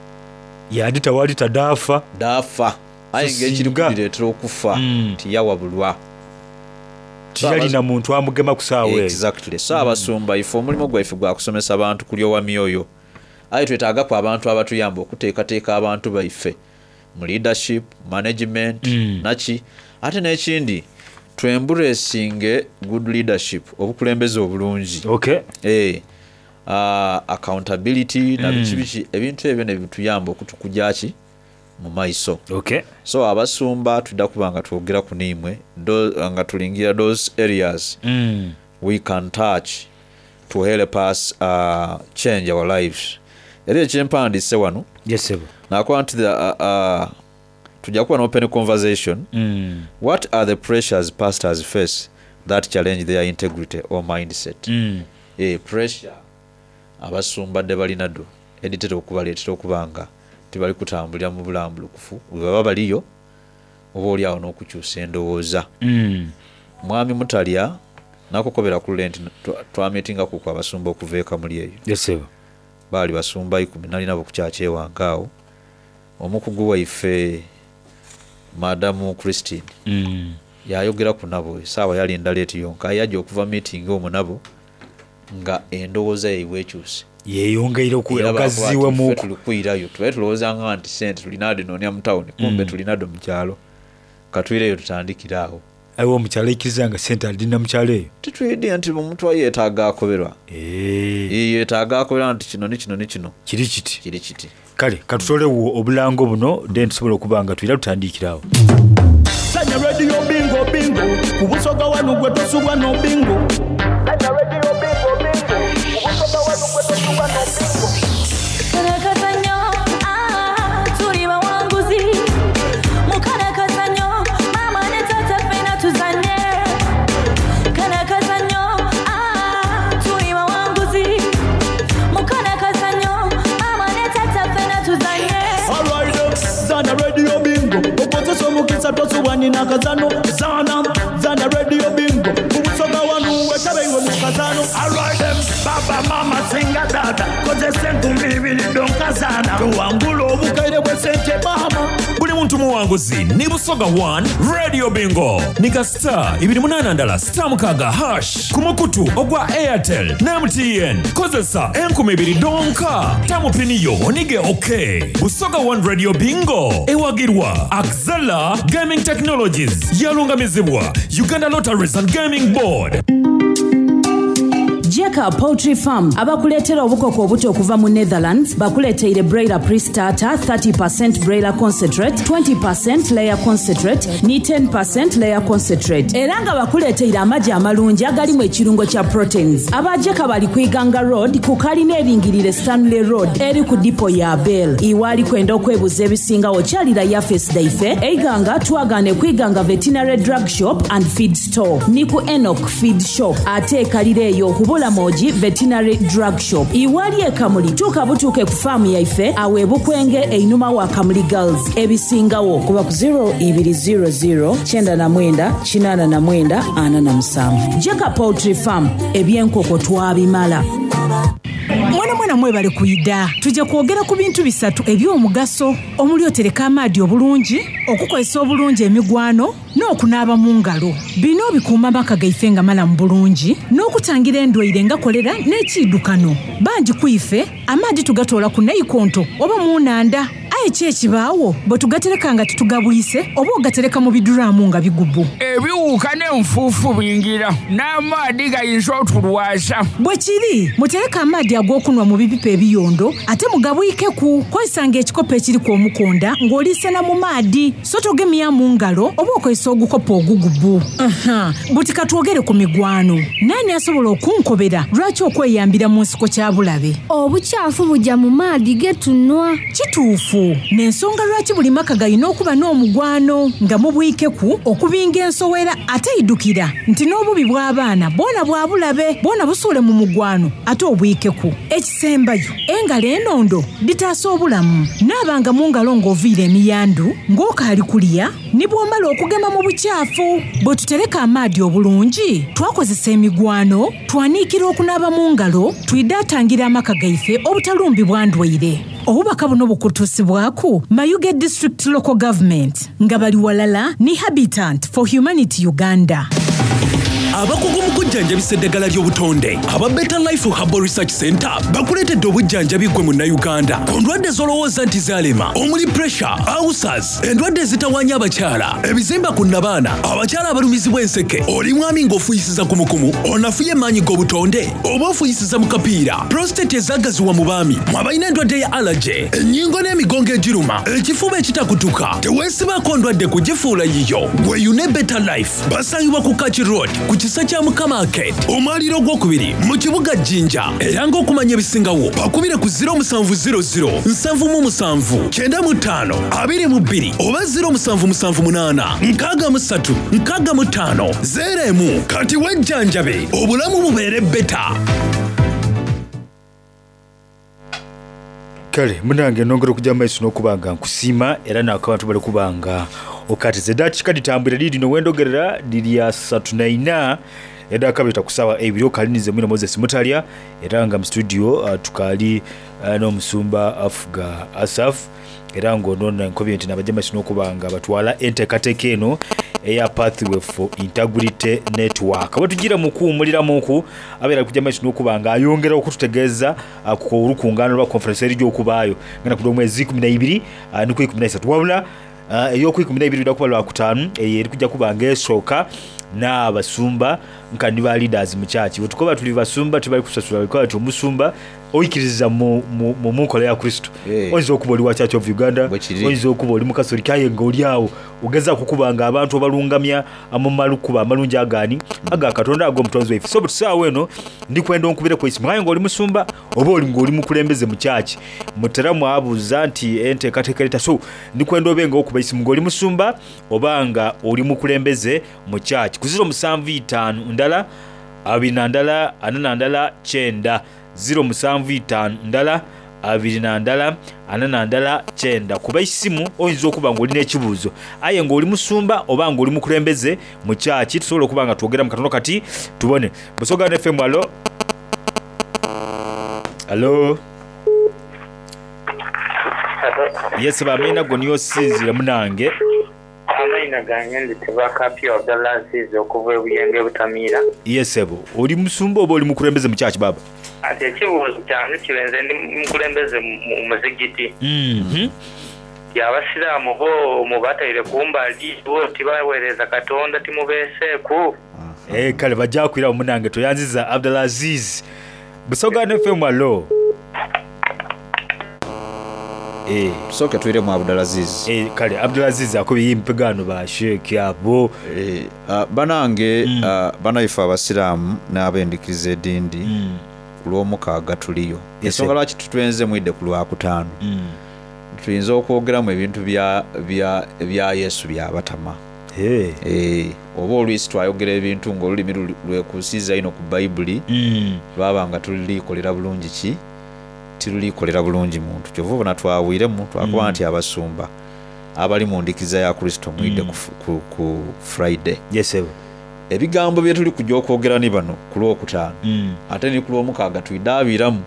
Yandi tawali tadaafa. Daafa, aye So ngaekiri singa- kubireetera okufa Mm. tiyawabulwa. Tiyalina muntu amugema ku saawa eyo. Exactly. So abasumba ife omulimu gwaife gwa kusomesa abantu kulyowa myoyo, aye twetaagaku abantu abatuyamba okuteekateeka abantu baife mu leadership management. Mm. Naki ate n'ekindi, twemburesinge good leadership, obukulembeze obulungi. Okay. Eh, uh, accountability na biki biki, ebintu ebyo nebituyamba okutukujaki mu maiso. Okay. So abasumba tudda kuba nga twogera ku niimwe do- nga tulingira those areas Mm. we can touch to help us uh, change our lives. Era ekyempandiise wano Yes, sir. nakuba nti the, uh, uh, tujja kuba n'open conversation. Mm. What are the pressures pastors face that challenge their integrity or mindset? Mm. Eh, pressure abasumba dde balinaddo editera okubaleetera okuba nga tebali kutambulira mu bulambulukufu bwe baba baliyo, oba oli awo n'okukyusa endowooza. Mm. Mwami Mutalya nakukobera ku lule nti twa- twamitingaku ku abasumba okuva ekamuli eyo. Yes, sir. Baali basumba ikumi, nalinabo ku kyakyewange awo. Omukugu waife Madamu Christine Mm. yayogeraku nabo esaawa yali ndala eti yonka yajja okuva meeting omwo nabo nga endowooza yaibwe ekyuse. Yeyongeire Era bakuba ati, okugaziwemuku. "Ffe tuli kwirayo tubaye tulowoozanga nti sente tulina dhinoonia mu tawuni, kumbe Mm. tulina dho mu kyalo, katwireyo tutandikire awo." Aye omukyalo aikiriza nga sente alina mukyalo eyo? Titwidye nti omuntu ayeetaaga akoberwa, yeetaaga akoberwa nti kino ni kino ni kino kiri kiti kiri kiti. Kale katutolewo obulango buno then tusobola okuba nga twira tutandikirawo. Sanya Radio Bingo Bingo ku Busoga wanu gwe tosubwa no bingo. Sanya Radio Bingo Bingo ku Busoga wanu gwe tosubwa no bingo. Kalakazanyo, ah, tuli bawanguzi. Mukalakazanyo, mama ne tata ffenna tuzanye. Kalakazanyo, ah, tuli bawanguzi. Mukalakazanyo, mama ne tata ffenna tuzanye. Alright, zana Radio Bingo okozesa omukisa tosubwa nina kazano. Zana zana Radio Bingo ku Busoga wanu wetabengo mu kazano. Alright, baba mama singa tata kozesa enkumi ibiri donkazana tuwangula obukaire bwe sente mama. Buli muntu muwanguzi ni Busoga one Radio Bingo nika star ibiri munana ndala star mukaga hash ku mukutu ogwa Airtel ne M T N. Kozesa enkumi ibiri donka tamupiniyo onige ok. Busoga one Radio Bingo ewagirwa Axela Gaming Technologies, yalungamizibwa Uganda Lotteries and Gaming Board. Jeka Poultry Farm abakuleetera obukoko obuto okuva mu Netherlands bakuleeteire broiler pre-starter, thirty percent broiler concentrate, twenty percent layer concentrate ni ten percent layer concentrate, era nga bakuleeteire amagi amalungi agalimu ekirungo kya proteins. Aba Jeka bali ku Iganga Road ku kalina eringirire Stanley Road eri ku dipo ya Bell. Iwaali kwenda okwebuza ebisingawo kyalira yafesi daife eiganga twagane ku Iganga Veterinary Drug Shop and Feed Store ni ku Enoch Feed Shop, ate ekalira eyo kubula Moji Veterinary Drug Shop. Iwali ekamuli tuuka butuuke ku faamu yaife awo ebukwenge einuma wa Kamuli Girls. Ebisingawo kuba ku zero two zero zero nine nine eight nine nine four seven. Jeka Poultry Farm, ebyenkoko twabimala. Mwana mwana mwebale kuyida. Tujja kwogera ku bintu bisatu eby'omugaso omuli otereka amaadi obulungi, okukozesa obulungi emigwano n'okunaaba mu ngalo. Bino bikuuma amaka gaife nga malamu bulungi n'okutangira endwaire nga kolera n'ekiidukano. Bangi ku ife amaadi tugatoola ku naikonto oba mu nnanda, aye ki ekibaawo bwe tugatereka nga titugabwise oba ogatereka mu biduraamu nga bigubu? Ebiwuka n'enfuufu bingira n'amaadi gayinza otulwaza. Bwe kiri, mutereke amaadi ag'okunwa mu bipipa ebiyondo ate mugabwikeku. Kozesanga ekikopo ekiriku omukonda ng'oliisena mu maadi, so togemya mu ngalo oba okozesa ogukopo ogugubu. Aha, buti katwogere ku migwano. Naani asobola okunkobera lwaki okweyambira mu nsiko kya bulabe? Obukyafu bujja mu maadi ge tunwa. Kituufu, n'ensonga lwaki buli maka galina okuba n'omugwano nga mubwikeku okubinga ensowera, ate idukira nti n'obubi bw'abaana bwona bwa bulabe, bwona busuule mu mugwano ate obwikeku. Ekisembayo, engalo enondo ditaasa obulamu. Naabanga mu ngalo ng'oviira emiyandu, ng'okaali kulya ne bw'omala okugema mu bukyafu. Bwe tutereka amaadi obulungi, twakozesa emigwano, twaniikira okunaaba mu ngalo, twidaatangira amaka gaife obutalumbibwa ndwaire. Obubaka buno bukutuusibwaku Mayuge District Local Government nga bali walala ne Habitat for Humanity Uganda. Abakugu mu kujjanjabisa eddagala ly'obutonde aba Better Life Herbal Research Center bakuleetedde obujjanjabi gwe munnayuganda ku ndwadde z'olowooza nti zaalema, omuli pressure, ulcers, endwadde ezitawaanya abakyala, ebizimba ku nnabaana, abakyala abalumizibwa enseke. Oli mwami ng'ofuuyisiza kumukumu, onafuye emaanyi g'obutonde oba ofuuyisiza mu kapiira, prostate ezaagaziwa mu baami, mwabalina endwadde ya allergy, ennyingo n'emigongo egiruma, ekifuba ekitakutuka. Teweesibaako ndwadde kugifuula yiyo. Weeyune Better Life. Basangibwa ku Kaki Road ku kisa kya Mukama Arcade, omwaliro ogwokubiri mu kibuga Jjinja. Era ng'okumanya ebisingawo bakubire ku zero seven zero zero seven seven nine five twenty-two oba zero seven seven eight six three six five zero one. Kati wejjanjabe obulamu bubeere better. Kale munange nongera okujja mumaiso n'okuba nga nkusiima era nako abantu bali kuba nga okatiza eddakiika ditambwire liirino wendogerera liri asatu naina. Edakabita ku saawa eibiri okalinize mwine Moses Mutalya era nga mu studio uh, tukaali uh, n'omusumba afuga Asaf era ng'ono nkobye nti nabajja maiso n'okuba nga batwala enteekateeka eno eya Pathway for Integrity Network. Bwe tugira mu kuwummuliramuku abeera kujja maiso n'okuba nga ayongera okututegeeza uh, ku olukungaano lwa conference erijja okubaayo ngenda ku lw'omwezi ikumi na ibiri uh, ni ku ikumi na isatu wabula uh, ey'oku ikumi na ibiri luda kuba lwakutaanu eyo eri kujja kuba nga esooka n'abasumba nka ni ba leaders mu church. Bwe tukoba tuli basumba tibali kusasula bikola nti omusumba oyikiriza mu, mu, mu, mu nkola ya Kristo. Eh. Oyinza okuba oli wa Church of Uganda, Bwe kiri. oyinza okuba oli mukatoliki aye nga oli awo ogezaako okuba nga abantu obalungamya mu malukuba amalungi agaani aga Katonda ag'omutonzi waife. So butusaawa eno ndikwenda onkubireko isimu aye ng'oli musumba oba oli ng'oli mukulembeze mu church mutera mwabuuza nti enteekateeka ereta so ndikwenda obe nga okuba isimu ng'oli musumba oba nga oli mukulembeze mu church ku ziro musanvu itaanu ndala abiri na ndala ana na ndala kyenda ziro musanvu itaanu ndala abiri na ndala ana na ndala kyenda kuba isimu oyinza okuba ng'olina ekibuuzo aye ng'oli musumba oba ng'oli mukulembeze mu kyaki tusobola okuba nga twogera mu katono kati tubone Busoga F M. Alo, alo, yes bamina go niyo sinzira munange. Amaina gange ndi Tebakapya Abdalaziz okuva e Buyenge Butamiira. Yesebo oli musumba oba oli mukulembeze mu kyaki baba? Ati ekibuuzo kyange kibenze ndi mukulembeze mu muzigiti. Mhm. Ti abasiraamu bo mubataire kumbali bo tibaweereza Katonda timubeeseeku. Eh, kale bajja kwira munange toyanziza Abdulaziz. Busoga F M. Alo. Eh, tusooke twiremu Abdulaziz. Eh, kale Abdulaziz akubye impegano ba Sheikh abo. Eh, ah, banange Mm. ah, banaife abasiraamu n'abendikiriza edindi Mm. ku lw'omukaaga tuliyo. Yes, Ensonga sir. lwaki tutwenze mwidde ku lwakutaano Mm. tuyinza okwogeramu ebintu bya, bya, bya Yesu byabatama. Hey. Eh, oba olwisi twayogera ebintu ng'olulimi luli- lwekuusiza ino ku Bayibuli Mm. lwaba nga tulikolera bulungi ki tirulikolera bulungi muntu kyova obona twawiremu twakuba Mm. nti abasumba abali mu ndikiza ya Kristo mwidde Mm. ku, ku, ku Friday. Yes, sir. Ebigambo bye tuli kujja okwogera ni bano ku lwokutaano Mm. ate ni ku lwomukaaga twidaabiiramu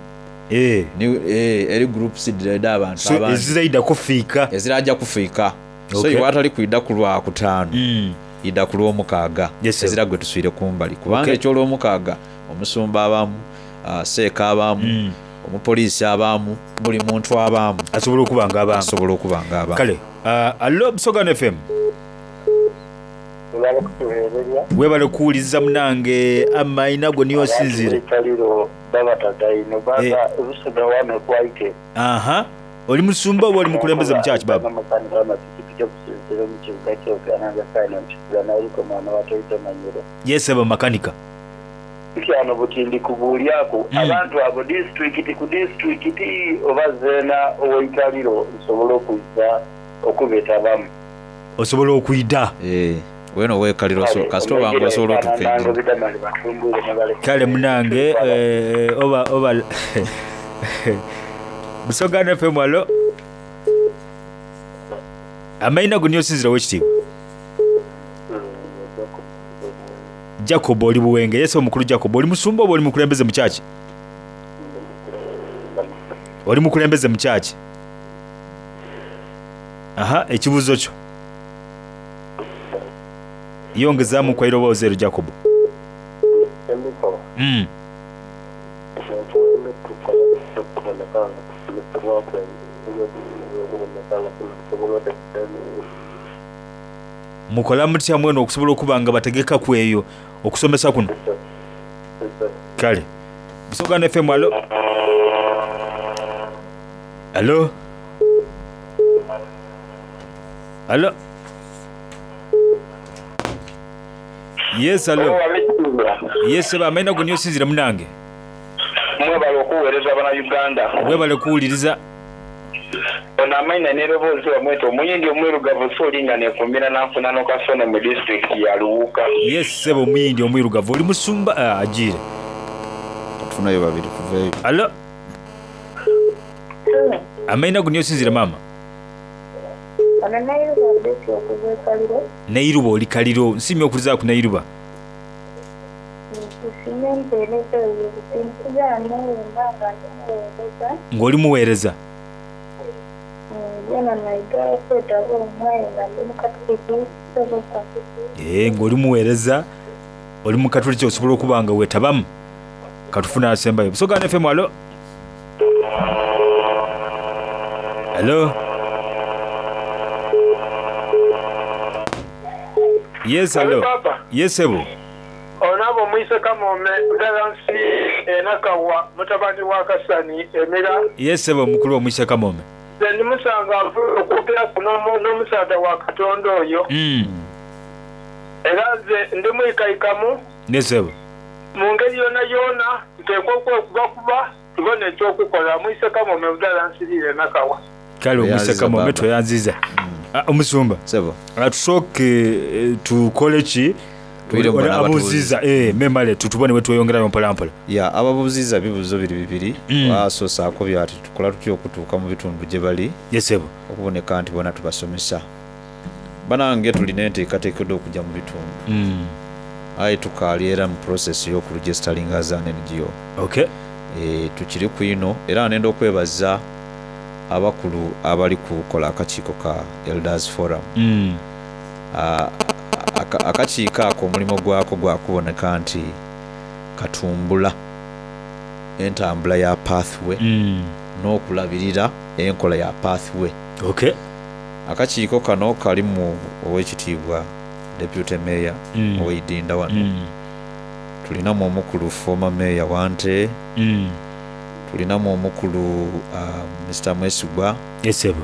Eh. ni eh, eri groups dda abantu So abandi eziraida kufiika. ezirajja kufiika so Okay. iwe atali kwidda ku lwakutaano Mm. idda ku lwomukaaga Yes, sir. ezira gwe tuswire kumbali kubanga Okay. ekyolwomukaaga omusumba abaamu ah, seeka abaamu Mm. omupoliisi abaamu buli muntu abaamu Asobola okuba nga abaamu. asobola okuba nga abaamu. Kale, uh, alo Busoga F M. Webale kutuweererya. Webale kuwuliriza munange amaina go niyo sinzire. Kaliro babatata ino Eh. baba Busoga wano kwaite. Aha. Oli musumba oba oli mukulembeze mu church baba? Makanika amapikipiki okusinziira mu kibuga ky'Okananga Kano nti naliko mwana wa Toyota Manyiro. Yes, aba makanika. Ntyano butindi kubuulyako Mm. abantu abo disitulikiti ku disitulikiti oba zeena ow'eikaliro nsobole okuyita okubetabamu. Osobola okuyida. Eh, weno weekalira oso- kasita oba nga osobola otuuka Nange bidamali batumbuule ne baleka. Kale munange eh, oba oba Busoga F M. Alo. Amaina go niyo sinzira wekitiibwa. Jacob oli Buwenge. Yes, omukulu Jacob oli musumba oba oli mukulembeze mu church? Oli mukulembeze mu church? Aha, ekibuuzo kyo. Yongezaamu kwa iroboozi ero Jacob. Mm. Mukola mutya mweno okusobola okuba nga bategeka ku eyo okusomesa kuno? Kale. Busoga F M. Alo. Alo. Alo. Yes, alo. Yes, ba amaina go niyo sinzira munange. Mwebale okuweereza Bannayuganda. Webale kuwuliriza. Ono amaina n'eroboozi wamweta omuyindi omwirugavu so olinga nekumbira nanfuna n'okasone mu disitulikiti ya Luwuka. Yes, sebo omuyindi omwirugavu oli musumba ah, agiire. Tufunayo babiri tuveeyo. Alo. Amaina go niyo sinzira mama. Ono Nairuba Betty okuva e Kaliro Nairuba oli Kaliro. Nsiimye okulizaako Nairuba. Nsiimye empeereza eyo. Tinkugaana bwemba nga ndi muweereza. Ng'oli muweereza? Nzena naidha okwetaba omwo aye nga ndi mukatuliki kisoboka. Ee, ng'oli muweereza, oli mukatuliki osobola okuba nga weetabamu. Katufune asembayo. Busoga One F M, alo? Alo? Yes, Alo, alo? Papa. Yes, sebo. Ono aba omwise Kamoome Ddala nsi e Nakawa mutabani wa Kasani Emira. Yes, sebo mukulu omwise Kamoome. Nze ndi musangavu okwogeraku n'omusaadha wa Katonda oyo. Mm. Era nze ndi mwikaikamu. Yes, sebo. Mu ngeri yonayona tuteekwa okwekubakuba tubone ekyokukola. Mwise Kamoome Ddala nsiriire Nakawa. Kale omwise Kamoome tweyanziza. Ah, omusumba. Sebo. Tusooke eh, tukole ki? Twire mbona Abuuziza eh memale tutubone bwe tweyongerayo mpola mpola. Ya, ababuuziza bibuuzo biri bibiri. Mm. Basoose akobye ati tukola tutya okutuuka mu bitundu gye bali. Yes, sebo. Okuboneka nti bona tubasomesa. Banange tulina enteekateeka okujja mu bitundu. Mm. Aye tukaali era mu process y'okuregisteringa as an N G O. Okay. E, tukiriku ino era nenda okwebaza abakulu abali kukola akakiiko ka Elders Forum. Mm. Aka- akakiiko ako omulimu gwako gwakuboneka nti katumbula entambula ya pathway Mm. n'okulabirira enkola ya pathway. Okay. Akakiiko kano kalimu owekitiibwa deputy mayor Mm. ow'eidinda wano. Mm. Tulinamu omukulu former mayor Wante. Mm. Tulinamu omukulu uh, Mister Mwesigwa. Yes, sebo.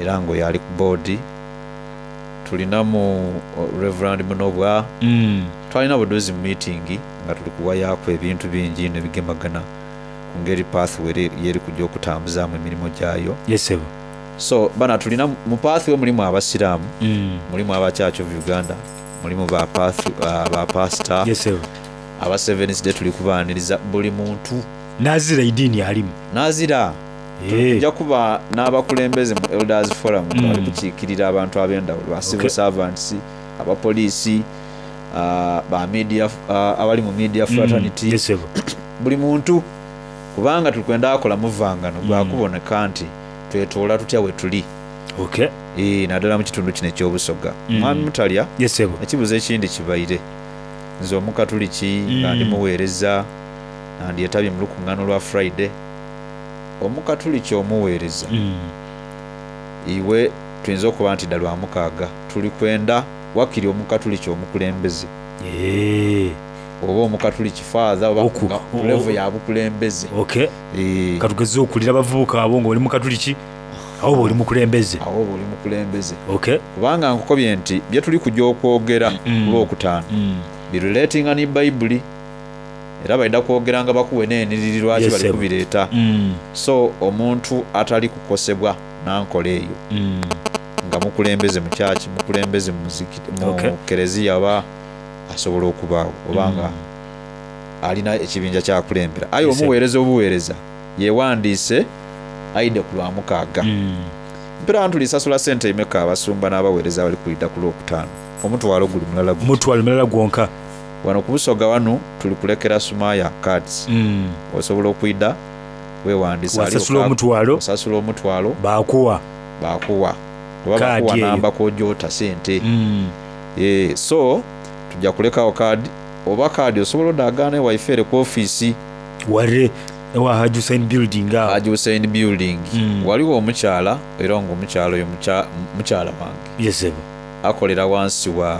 Era nga oyo ali ku board. Tulinamu uh, Reverend Munobwa. Mm. Twalina buduzi mu meeting nga tuli kuwayaaku ebintu bingi ino ebigemagana ku ngeri pathway yeri kujja okutambuzaamu emirimu gyayo. Yes, sebo. So bana tulina mu pathway mulimu abasiraamu, Mm. mulimu aba Church of Uganda, mulimu ba path, uh, ba pastor. Yes, sebo. Aba Seventh Day tuli kubaaniriza buli muntu. Nazira idiini alimu. Nazira. Tujja kuba n'abakulembeze mu Elders Forum nga Mm. bali kukiikirira abantu ab'endawulo, ba civil Okay. servants, abapoliisi, uh, ba media, uh, abali mu media fraternity. Mm. Yes, sebo. Buli muntu kubanga tulikwenda akola muvangano gwakuboneka nti twetoola tutya we tuli. Okay. E, naddala mu kitundu kino ekyobusoga. Mm. Mwami Mutalya. Yes, sebo. Ekibuuzo ekindi kibaire nze omukatuliki nga Mm. ndi muweereza nga ndyetabye mu lukuŋŋaano lwa Friday. Omukatuliki omuweereza Mm. iwe tuyinza okuba nti dda lwa mukaaga tuli kwenda wakiri omukatuliki omukulembeze Eh. oba omukatuliki father oba Oku- nga ku level ya bukulembeze. Okay. Katugeze okulira abavubuka abo ng'oli mukatuliki awo oba oli mukulembeze. Awo oba oli mukulembeze. Okay. Kubanga nkukobye nti bye tuli kujja okwogera ku lwokutaano Mm. birelatinga ne Bayibuli era balina kwogera nga bakuwe n'eniriri lwaki Yes, bali sir. kubireeta. Mm. So omuntu atali kukosebwa nankola eyo Mm. nga mukulembeze mu kyaki, mukulembeze mu muzikiti, mu Okay. kereziya oba asobola okubaawo oba nga alina ekibinja kyakulembera. Aye Yes, sir. omuweereza obuweereza yewandiise aide ku lwa mukaaga. Mm. Mpera ntulisasula sente emeka abasumba n'abaweereza abali kulida ku lwokutaano? Omutwalo guli mulala guti. Omutwalo mulala gwonka. Wano ku Busoga wano tuli kulekera Sumaya cards. Mm. Osobola okwida wewandiisa ali Wasasula oka- omutwalo. Osasula omutwalo. Bakuwa. Bakuwa. Oba Kaadi bakuwa eyo. namba kw'ogyota sente. Mm. Eh, so tujja kulekawo kaadi oba kaadi osobola odagaana ewaife ere ku ofiisi. Ware ewa Haji Hussein building awo. Haji Hussein building. Mm. Waliwo omukyala era ng'omukyala oyo mukya- mukyala wange. Yes, sebo. Akolera wansi wa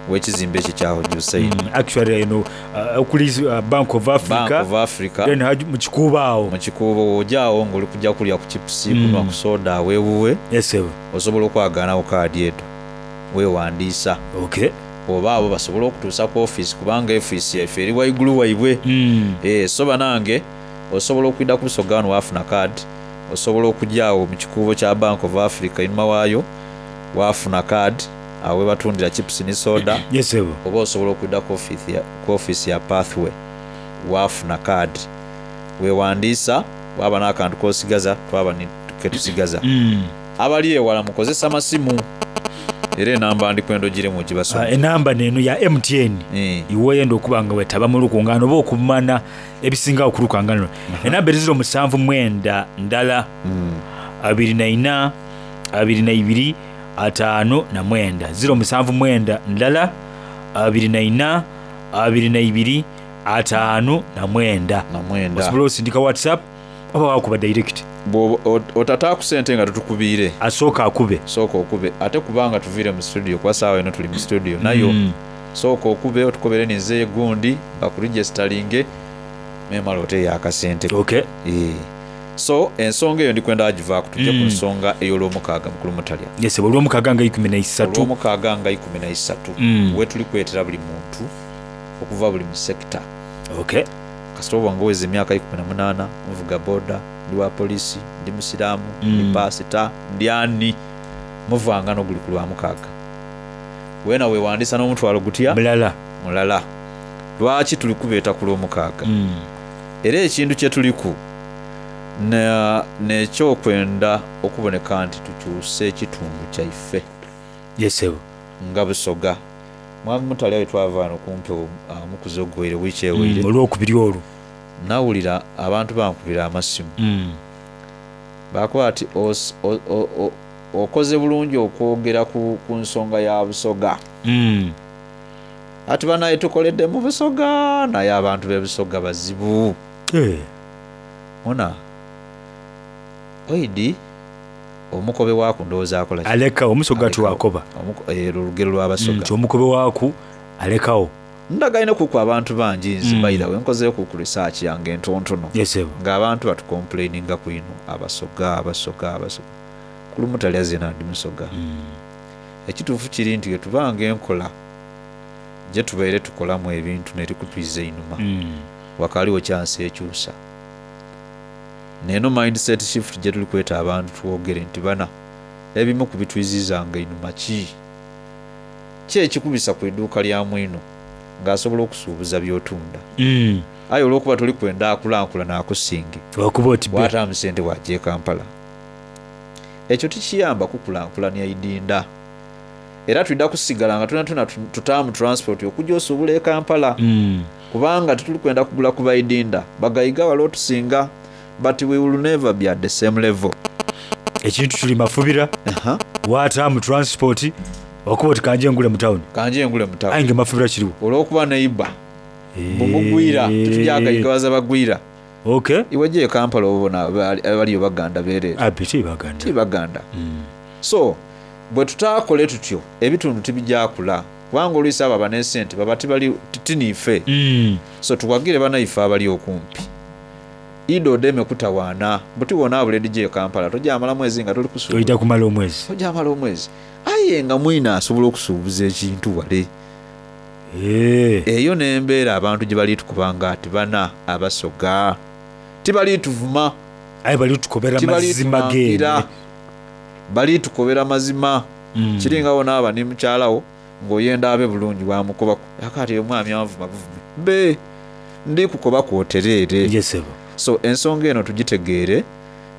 w'ekizimbe ekyo kya Haji Hussein. Mm. Actually eno uh, okuli uh, Bank of Africa. Bank of Africa. Then Haji mu kikuubo awo. Mu kikuubo w'ojaawo ng'oli kujja kulya ku chips, Mm. kunwa ku soda aweewuwe. Yes, sebo. Osobola okwagaanawo kaadi edo weewandiisa. Okay. Oba abo basobole okutuusa ku ofiisi kubanga ofiisi yaffe eri waigulu waibwe. Mm. Eh, so banange osobola okwidda ku Busoga wano waafuna kaadi, osobola okujja awo mu kikuubo kya Bank of Africa einhuma waayo waafuna kaadi awo we batundira chips ne soda. Yes, sebo. Oba osobola okwidda ku ofiisi ya, ku ofiisi ya Pathway waafuna kaadi weewandiisa waaba n'akantu k'osigaza twaba ni ketusigaza. Mm. Abali ewala mukozesa masimu. Era enamba ndikwenda ogiremu ogibasome. Ah, enamba neno ya M T N iwe oyenda okuba nga wetaba mu lukungano oba okumana ebisingawo ku lukungano luno. Enamba eri ziro musanvu mwenda ndala abiri na ina abiri na ibiri ataano na mwenda. Ziro musanvu mwenda ndala abiri na ina abiri na ibiri ataano na mwenda. Na mwenda. Osobola osindika WhatsApp oba wakuba direct. Bw'oba otata ku sente nga tutukubiire. Asooka akube. Sooka okube. Ate kubanga tuviire mu studio kuba saawa eno tuli mu studio nayo. Mm. Sooka okube otukobere ninze gundi bakuregisteringe memala oteeyo akasente. Okay. Eh. So ensonga eyo ndikwenda agivaako tujje ku Mm. nsonga ey'olwomukaaga mukulu Mutalya. Yes, olwomukaaga nga ikumi na isatu. Olwomukaaga nga ikumi na isatu. Mm. We tuli kwetera buli muntu okuva buli mu sekita. Okay. Kasita oba nga oweza emyaka ikumi na munaana, nvuga boda, ndi wa poliisi, ndi musiraamu, ndi Mm. paasita, ndi ani, muvanga n'oguli ku lwamukaaga. Weena weewandisa n'omutwalo gutya? Mulala. Mulala. Lwaki tuli kubeeta ku lwomukaaga? Mm. Era ekintu kye tuliku n'ekyokwenda okuboneka nti tukyuse ekitundu kyaife. Yes, sir. Nga Busoga. Mwami Mutalya we twava wano kumpi omukuzi oguwaire wiiki ewaire. Mm, olwokubiri olwo. Nawulira abantu bankubira amasimu. Mm. Bakuba ati os-, o-, o-, o-, okoze bulungi okwogera ku, ku nsonga ya Busoga. Mm. Ati banaye tukoledde mu Busoga naye abantu b'e Busoga bazibu. Eh. Muna oidi omukobe waaku ndowooza akola ki? Alekawo, omusoga tiwakoba. Omuko-, eh, olugero lw'Abasoga. Nti omukobe waaku alekawo. Ndagaine kuku abantu bangi nze Mm. by the way nkozeeyo ku research yange entontono. Yes, sir. Ng'abantu batucomplaininga ku ino Abasoga, Abasoga, Abasoga. Ku lumu talya zena ndi Musoga. Mm. Ekituufu kiri nti tubanga enkola gye tubaire tukolamu ebintu nerikutwiza einuma. Mm. Wakaliwo chance ekyusa. Neno mindset shift gye tuli kweta abantu twogere nti bana ebimu ku bitwizizanga einuma ki? Ki ekikubisa ku idduuka lya mwino ng'asobola okusuubuza by'otunda? Mm. Aye olw'okuba toli kwenda akulankulana akusinge. Wakuba oti be. Waataamu ssente wajja e Kampala. Ekyo tikiyamba kukulankulanya idinda. Era tulina kusigala nga tuna tuna tutaamu transport okujja osuubula e Kampala. Mm. Kubanga tetuli kwenda kugula ku baidinda. Bagayiga wali otusinga, but we will never be at the same level. Ekintu tuli mafubira. Uh-huh. Waataamu transport wakuba oti kanje ngule mu town. Kanje ngule mu town. Aye nga mafubira kiriwo. Olw'okuba neighbor. Bumugwira, tetujagayigawaza bagwira. Okay. Iwe gye e Kampala obona abaliyo Baganda beereere. Abe ti Baganda. Ti Baganda. So bwe tutaakole tutyo ebitundu tibijakula kubanga oluusi abo abana essente baba tibali tiniife. Mm. So tuwagire bannaife abali okumpi. Ido odeme kutawaana buti wona abuledi gye e Kampala tojamala mwezi nga toli kusuubuza. Tojja kumala omwezi. Tojamala omwezi. Aye nga mwina asobola okusuubuza ekintu wale. Eyo n'embeera abantu gye bali tukubanga ati bana Abasoga tibali tuvuma. Aye bali tukobera Tibali mazima geene. tumangira. Bali tukobera mazima. Mm. Kiringa wona aba ni mukyalawo ng'oyenda abe bulungi wamukobaku. Akati omwami anvuma buvumi. Be ndi kukoba kwotereere. Yes, sir. So ensonga eno tugitegeere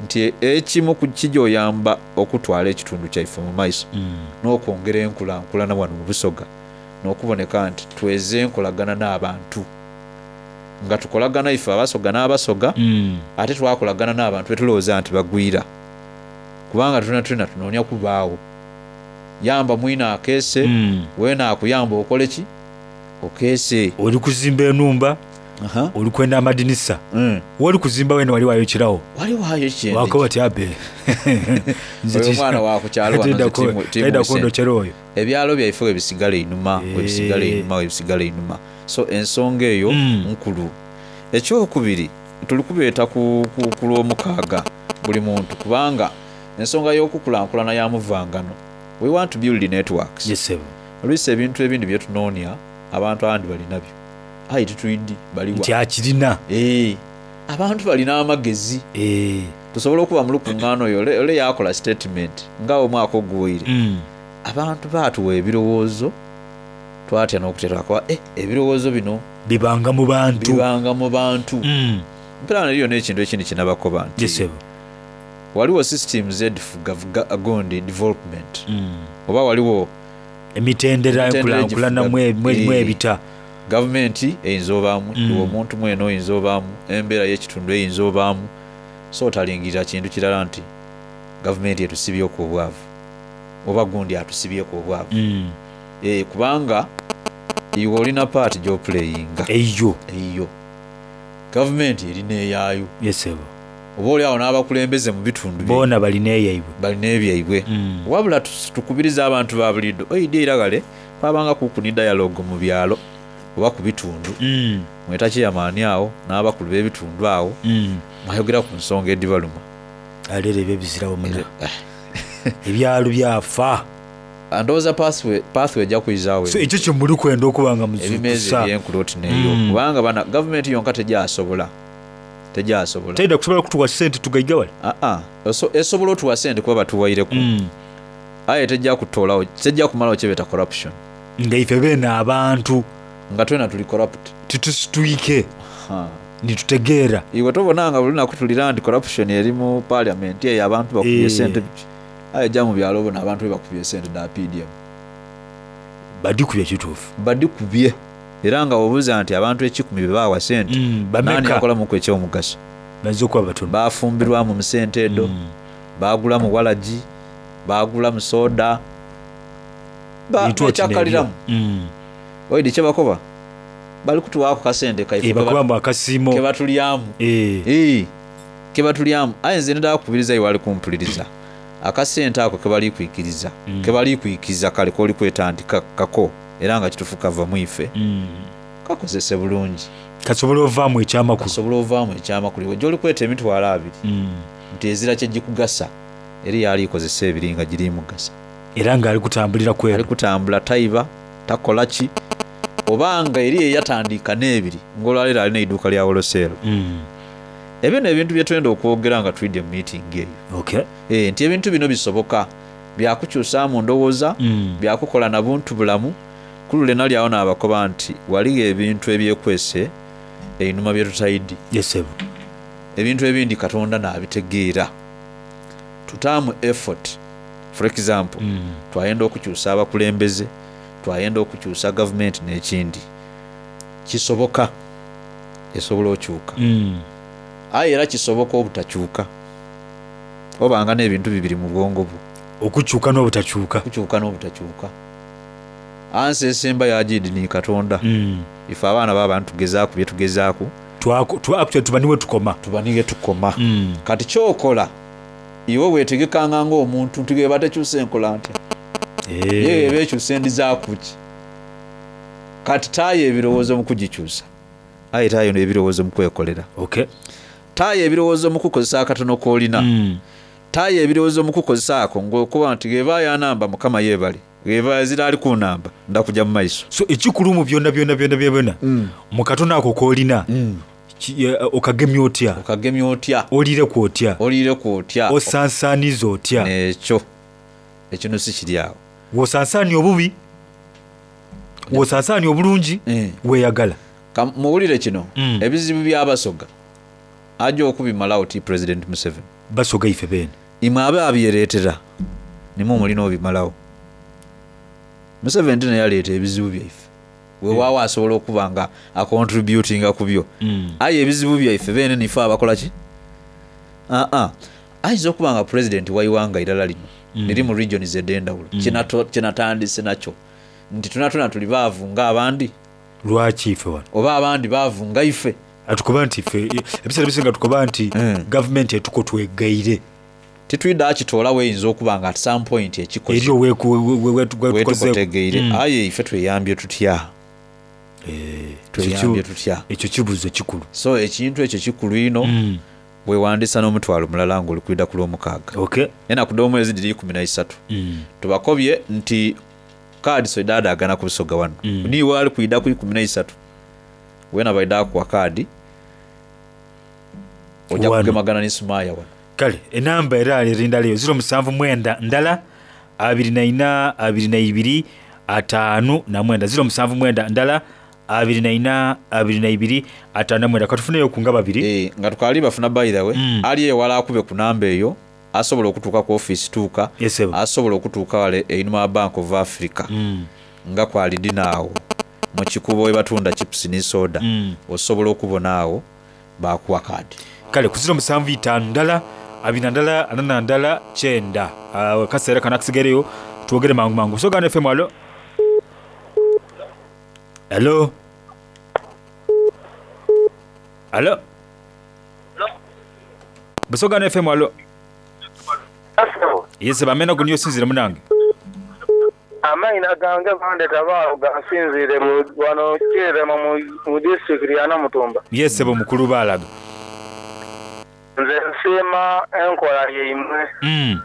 nti ekimu ku kijyoyamba okutwala ekitundu kyaife mu maiso mm. n'okwongera enkulankulana wano mu Busoga n'okuboneka nti tweze enkolagana n'abantu nga tukolagana ife Abasoga n'Abasoga mm. ate twakolagana n'abantu betulowooza nti bagwira kubanga tulina tulina tunoonya kubaawo yamba mwina akeese mm. weena akuyamba okole ki okeese oli kuzimba enumba oli kwenda amadinisa mm. woli kuzimba wena wali wayokerawo wali waayo kyende wakoba ti abe oyo omwana wakukyalo wano nze timu- timu taida ese. kundokera oyo ebyalo byaife webisigala einuma webisigala einuma webisigala einuma so ensonga eyo nkulu ekyokubiri tuli kubeeta ku, ku, ku lwomukaaga buli muntu kubanga ensonga y'okukulankulana ya muvangano we want to build networks yes, sir. oluusi ebintu ebindi byetunoonya abantu abandi balinabyo aye titwidi baliwa nti akirina Eh, abantu balina amagezi tusobole okuba mu lukuŋŋaana oyo ole ole yakola statement nga omwaka oguwaire Mm. abantu baatuwa ebirowoozo twatya n'okutera kuba eh, ebirowoozo bino bibanga mu bantu bibanga mu bantu Mm. mpera neriyo n'ekintu ekindi kyenabakoba nti Yes, sir. waliwo systems edifuga gondi development Mm. oba waliwo Emitendera enkulankulana mwe- mwe- mwebita. Gavumenti eyinza obaamu, Mm. iwe omuntu mwene oyinza obaamu, embeera y'ekitundu eyinza obaamu. So otalingirira kintu kirala nti gavumenti etusibyeku obwavu oba gundi atusibyeku obwavu. Mm. Eh, kubanga iwe olina paati gy'opuleyinga eyo eyo gavumenti erina eyaayo. Yesebo. Oba oli awo n'abakulembeze mu bitundu bye- Boona balina eyaibwe. Balina ebyaibwe. Wabula tus- tukubiriza abantu ba bulido oidi eiragale twabanga kuku ni dialogue mu byalo oba ku bitundu, mweta chairman awo n'abakulu b'ebitundu awo, mwayogera ku nsonga edibaluma. Aleero ebyo ebizirawo muna, ebyalo byafa. Ndowooza pathway pathway ejja kuyizaawo. So ekyo kyemuli kwenda okuba nga ebimeeza muzukusa ebyenkulo oti neeyo, Mm. kubanga bana gavumenti yonka tejasobola tejasobola Teyida kusobola kutuwa sente tugaigawale. Aa, eso- esobola otuwa sente kuba batuwaireku, Mm. aye tejja kutoolawo, tejja kumalawo kyebeta corruption. Nga ife beene abantu nga twena tuli corrupt, titusitwike nitutegeera. Iwe tobona nga buli lunaku tulira nti corruption eri mu parliament eyo, abantu bakubye Eh. sente, aye jja mu byalo bona abantu bebakubye sente da P D M. Badikubye kituufu. Badikubye, era nga obuuza nti abantu ekikumi be baawa sente, bameka? nani yakolamuku ekyomugaso? Bayinza okuba batono. Bafumbirwamu mu sente edo, bagulamu walagi, bagulamu soda, ba- Bintu oti bekyakaliramu. n'ebyo. Oidi kyebakoba bali kutuwaako kasente kaife Eh, bakuba mbu akasiimo kebatulyamu. Eh, kebatulyamu. Aye nze ndala kukubiriza iwe ali kumpuliriza, akasente ako kebali kwikiriza, kebali kwikiriza kale koli kwetandika kako, era nga kitufu kava mu ife, kakozese bulungi. Kasobola ovaamu ekyamakulu. Kasobola ovaamu ekyamakulu. Iwe gyoli kweta emitwalo abiri nti ezira kyegikugasa, eri yali ikozesa ebiri nga giri mugasa. Era nga ali kutambulira kwero. Ali kutambula, tayiba, takola ki, obanga eri eyatandika n'ebiri ng'olwaleero alina eiduuka lya woloseero. Ebyo n'ebintu bye twenda okwogera nga twidde mu meeting eyo. Okay. Eh, nti ebintu bino bisoboka, byakukyusaamu ndowooza, byakukola na buntu bulamu. Kulule nali awo n'abakoba nti waliyo ebintu ebyekwese einuma bye tutayidi. Yesebo. Ebintu ebindi Katonda n'abitegeera, tutaamu effort. For example, twayenda okukyusa abakulembeze, twayenda okukyusa gavumenti n'ekindi kisoboka, esobola okyuka, aye era kisoboka obutakyuka, obanga n'ebintu bibiri mu bwongo bwo. Okukyuka n'obutakyuka. Okukyuka n'obutakyuka. Ansi esemba yagidi ni Katonda. Ife abaana b'abantu tugezaaku bye tugezaaku. Tuba niwe tukoma. Tuba niwe tukoma. Kati kyokola iwe weetegekanga ng'omuntu nti geba tekyusa enkola ntya, ye eba ekyusa endizaakuki. Kati taayo ebirowoozo mu kugikyusa, aye taayo ebirowoozo mu kwekolera. Okay. Taayo ebirowoozo mu kukozesa akatono k'olina, taayo ebirowoozo mu kukozesa ako ng'okuba nti geba yanamba Mukama yeebale, geba ezira ali kunamba ndakujja mu maiso. So ekikulu mu byonna byonna byonna byonna, mu katono ako k'olina, ki- eh, okagemya otya? Okagemya otya? Oliireku otya? Oliireku otya? Osansaaniza otya? Ekyo ekino si kiri awo. Wosansaania obubi, wosansaania obulungi, weeyagala. Ka- muwulire kino, ebizibu by'abasoga ajja okubimalawo ti President Museveni. Basoga ife beene. Imwe abe abyereetera nimwe mulina obimalawo. Museveni tena yaleeta ebizibu byaife, weewaawo asobola okuba nga acontributinga ku byo, aye ebizibu byaife beene nife abakola ki. Aa, ayinza okuba nga pulezidenti waiwanga irala lino liri mu regions ed'endawulo, Kyenato- kyenatandise nakyo nti tunatuna tuli baavu ng'abandi. Lwaki ife wano? Oba abandi baavu nga ife. Atukoba nti ife ebiseera bisinga tukoba nti gavumenti etuko twegaire. Titwidde akitoolawo, eyinza okuba nga at some point ekikoze. Eri wetukotegeire, aye ife tweyambye tutya? Tweyambye tutya? Ekyo kibuuzo kikulu. So ekintu ekyo kikulu ino. Wewandisa n'omutwalo mulala ng'oli kwida ku lwomukaaga, Okay. enaku d'omwezi diri ikumi na isatu. Tubakobye nti kaadi soidaadaagana ku Busoga wano, niiwe ali kwida ku ikumi na isatu wena baida kuwa kaadi, ojja Wano. kugemagana ne Sumaya wano. Kale enamba era eri ndala eyo, ziro musanvu mwenda ndala abiri na ina abiri na ibiri ataano na mwenda, ziro musanvu mwenda ndala abiri na ina abiri na ibiri ataano na mwenda. Katufuneyo ku nga babiri. Eh, nga tukali bafuna by the way, ali ewala akube ku namba eyo Asobola okutuuka ku ofiisi tuuka. Asobola okutuuka wale einhuma wa Bank of Africa Mm. nga kwali dina awo mu kikuubo we batunda chips ni soda. Mm. Osobola okubona awo baakuwa kaadi. Kale ku ziro musanvu itaanu ndala abiri na ndala ana na ndala kyenda. Ah, akaseera kano akasigaireyo twogere mangu mangu. Busoga One F M, alo. Alo. Alo. Busoga One F M, alo. Yes, bamena guniyo sinzire munange. Amaina gange bandeta baawo gansinziire mu wano Kyerema mu, mu disitulikiti ya Namutumba. Yes, bo mukulu balaga. Nze nsiima enkola yaimwe. Mm.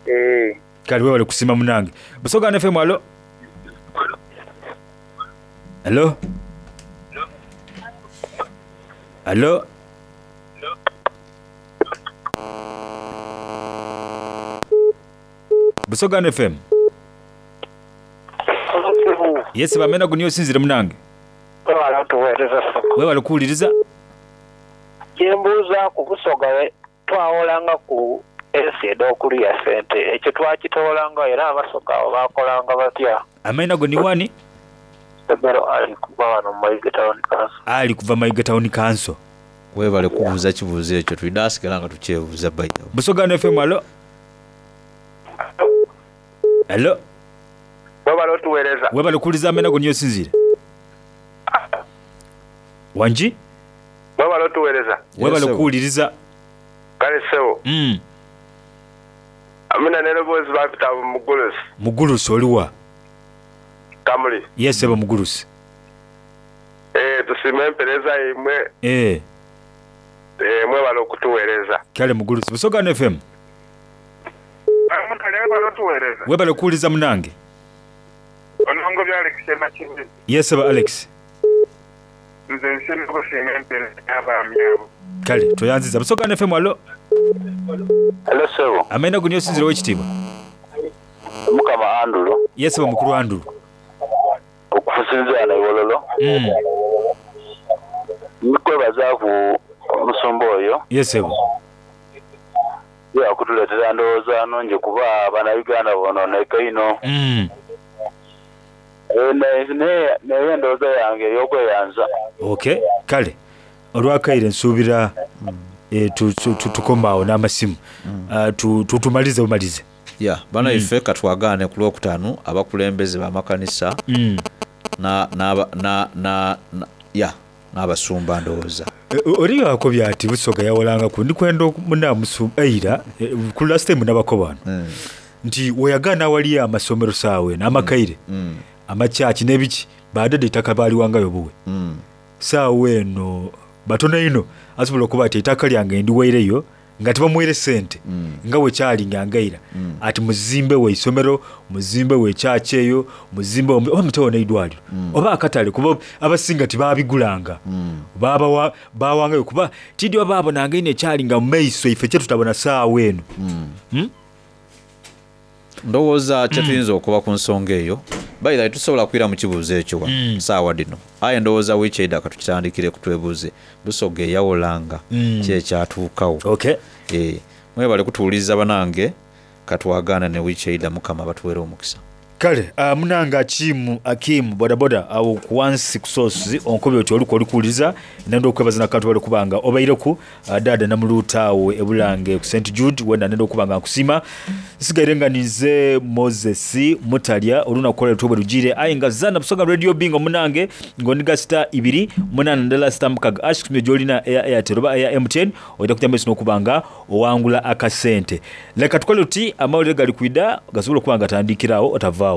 Eh. Kale webale kusima munange. Busoga One F M, alo. Alo. Alo. Busoga One F M. Yes, bamena guniyo sinzire munange. Webale otuweereza soko. Webale kuwuliriza. Kyembuuza ku Busoga we twawolanga ku ensi ed'okulya ssente ekyo twakitoolanga era Abasoga abo baakolanga batya? Amaina go ni wani? Sebero ali kuva wano mu Mayiga Town Council. Ali kuva Mayiga Town Council. Webale kubuuza kibuuzo ekyo tulina asigala nga tukyebuuza by the way. Busoga One F M, alo. Alo. Webale otuweereza. Webale kuwuliriza amena go niyo sinzire. Wangi? Webale otuweereza. Webale kuwuliriza. Kale ssebo. Mm. Amina n'eroboozi bapita Mugulusi. Mugulusi oliwa? Kamuli. Yes, ssebo Mugulusi. Eh, tusiime empeereza yaimwe. Eh. Eh, mwebale okutuweereza. Kale Mugulusi. Busoga One F M. Mutale webale otuweereza. Webale kuwuliriza munange. Onongo bya Alex Makindi. Yes, ssebo Alex. Nze nsiima okusiima empeereza y'abaami abo. Kale toyanziza. Busoga One F M, alo. Hello ssebo. Amaina go niyo sinzire ow'ekitiibwa. Mukama Andrew. Yes, ssebo mukulu Andrew. Okusinziira na Iwololo. Mm. Nkwebaza ku omusumba oyo. Yes, ssebo. Ye akutuleetera ndowooza nnungi kuba Bannayuganda bonooneka ino. Mm. Eh, naye naye endowooza yange ey'okweyanza. Okay, kale olwakaire nsuubira eh, tu- tu- tu- tukome awo n'amasimu. Ah, tu- tu- tumalize bumalize. Ya, bano ife katwagaane ku lwokutaano abakulembeze b'amakanisa Mm. na na na na na ya n'abasumba ndowooza. Eh, oli akobye ati Busoga yawolangaku ndikwenda munamusu eira eh, ku last time nabako bano nti weyagaana awali amasomero saawa eno amakaire Mm. amakyaki n'ebiki badada ettaka baaliwangayo buwe Mm. saawa eno batono ino asobola okuba ati ettaka lyange ndiwaireyo nga tebamuweire sente nga bwe nga ngaira ati muzimbe we isomero muzimbe we kyaki eyo muzimbe we- oba mutewo n'eidwaliro oba akatale kuba abasinga tebabigulanga babawa bawangayo kuba tidyo baabonanga ino ekyali nga mu maiso ife kyetutabona saawa eno Mm? Ndowooza kyetuyinza okuba ku nsonga eyo by the way tusobola kwira mu kibuuzo ekyo wano saawa dino aye ndowooza wiiki eidda katukitandikire kutwebuuze Busoga eyawolanga Mm. ki ekyatuukawo. Okay. Eh, mwebale kutuwuliriza banange katwagaana ne wiiki eidda Mukama batuweere omukisa. Kale uh, munange Akimu Akimu bodaboda awo ku wansi ku sosi onkobe oti oluku olikuwuliriza nenda okwebaza nakantu bali kubanga obaireku uh, dada namuluuta awo ebulange ku Saint Jude wenda nenda okuba nga nkusiima nsigaire nga ninze Moses Mutalya olunaku olwaleero tubwe lugire aye nga zana Busoga Radio Bingo munange ng'oniga sita ibiri munaana ndala sita mukaga ash kusumye gy'olina eya Airtel oba eya M T N ojja kujja maiso n'okuba nga owangula akasente. Leka tukole tuti amawulire gali kwida gasobola okuba nga gatandikirawo otavaawo.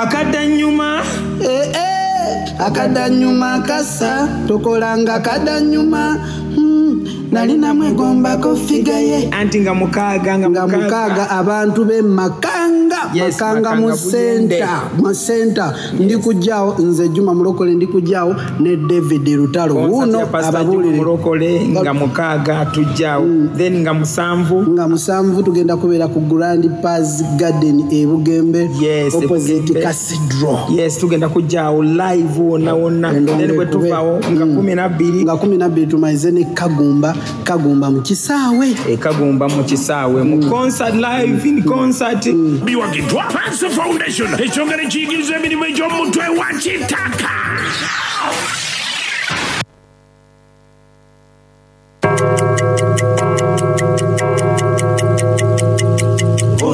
Akadanyuma Eh, eh, akadanyuma kasa tokolanga kadanyuma Hmm, nali namwegombako figa ye anti nga mukaaga nga mukaaga abantu b'e Makanga Makanga. Yes, Makanga mu Makanga Buyende. center, mu center. Ndi kujjaawo nze Juma Mulokole ndi kujjaawo ne David Lutalo. Concert Wuuno ya Pastor Juma ababuulire. Mulokole nga mukaaga tujjaawo then nga musanvu nga musanvu tugenda kubeera ku Grand Paz Garden e Bugembe Yes, opposite Bugembe. Cathedral. Yes, tugenda kujjaawo live wonna wonna then bwe tuvaawo nga kumi nabbiri nga kumi nabbiri tumalize ne Kagumba Kagumba mu kisaawe e Kagumba mu kisaawe mu concert live in concert biwagiddwa Panso Foundation ekyongera ekiyigiriza emirimu egy'omutwe wa kitaka.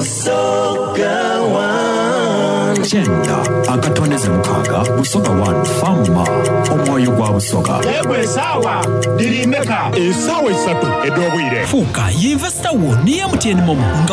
Busoga One. Kyenda akatondeze mukaaga Busoga One Fama omwoyo gwa Busoga. Egwe esaawa diri meka? Esaawa esatu ed'obwire. Fuuka yinvesita wo ne M T N MoMo nga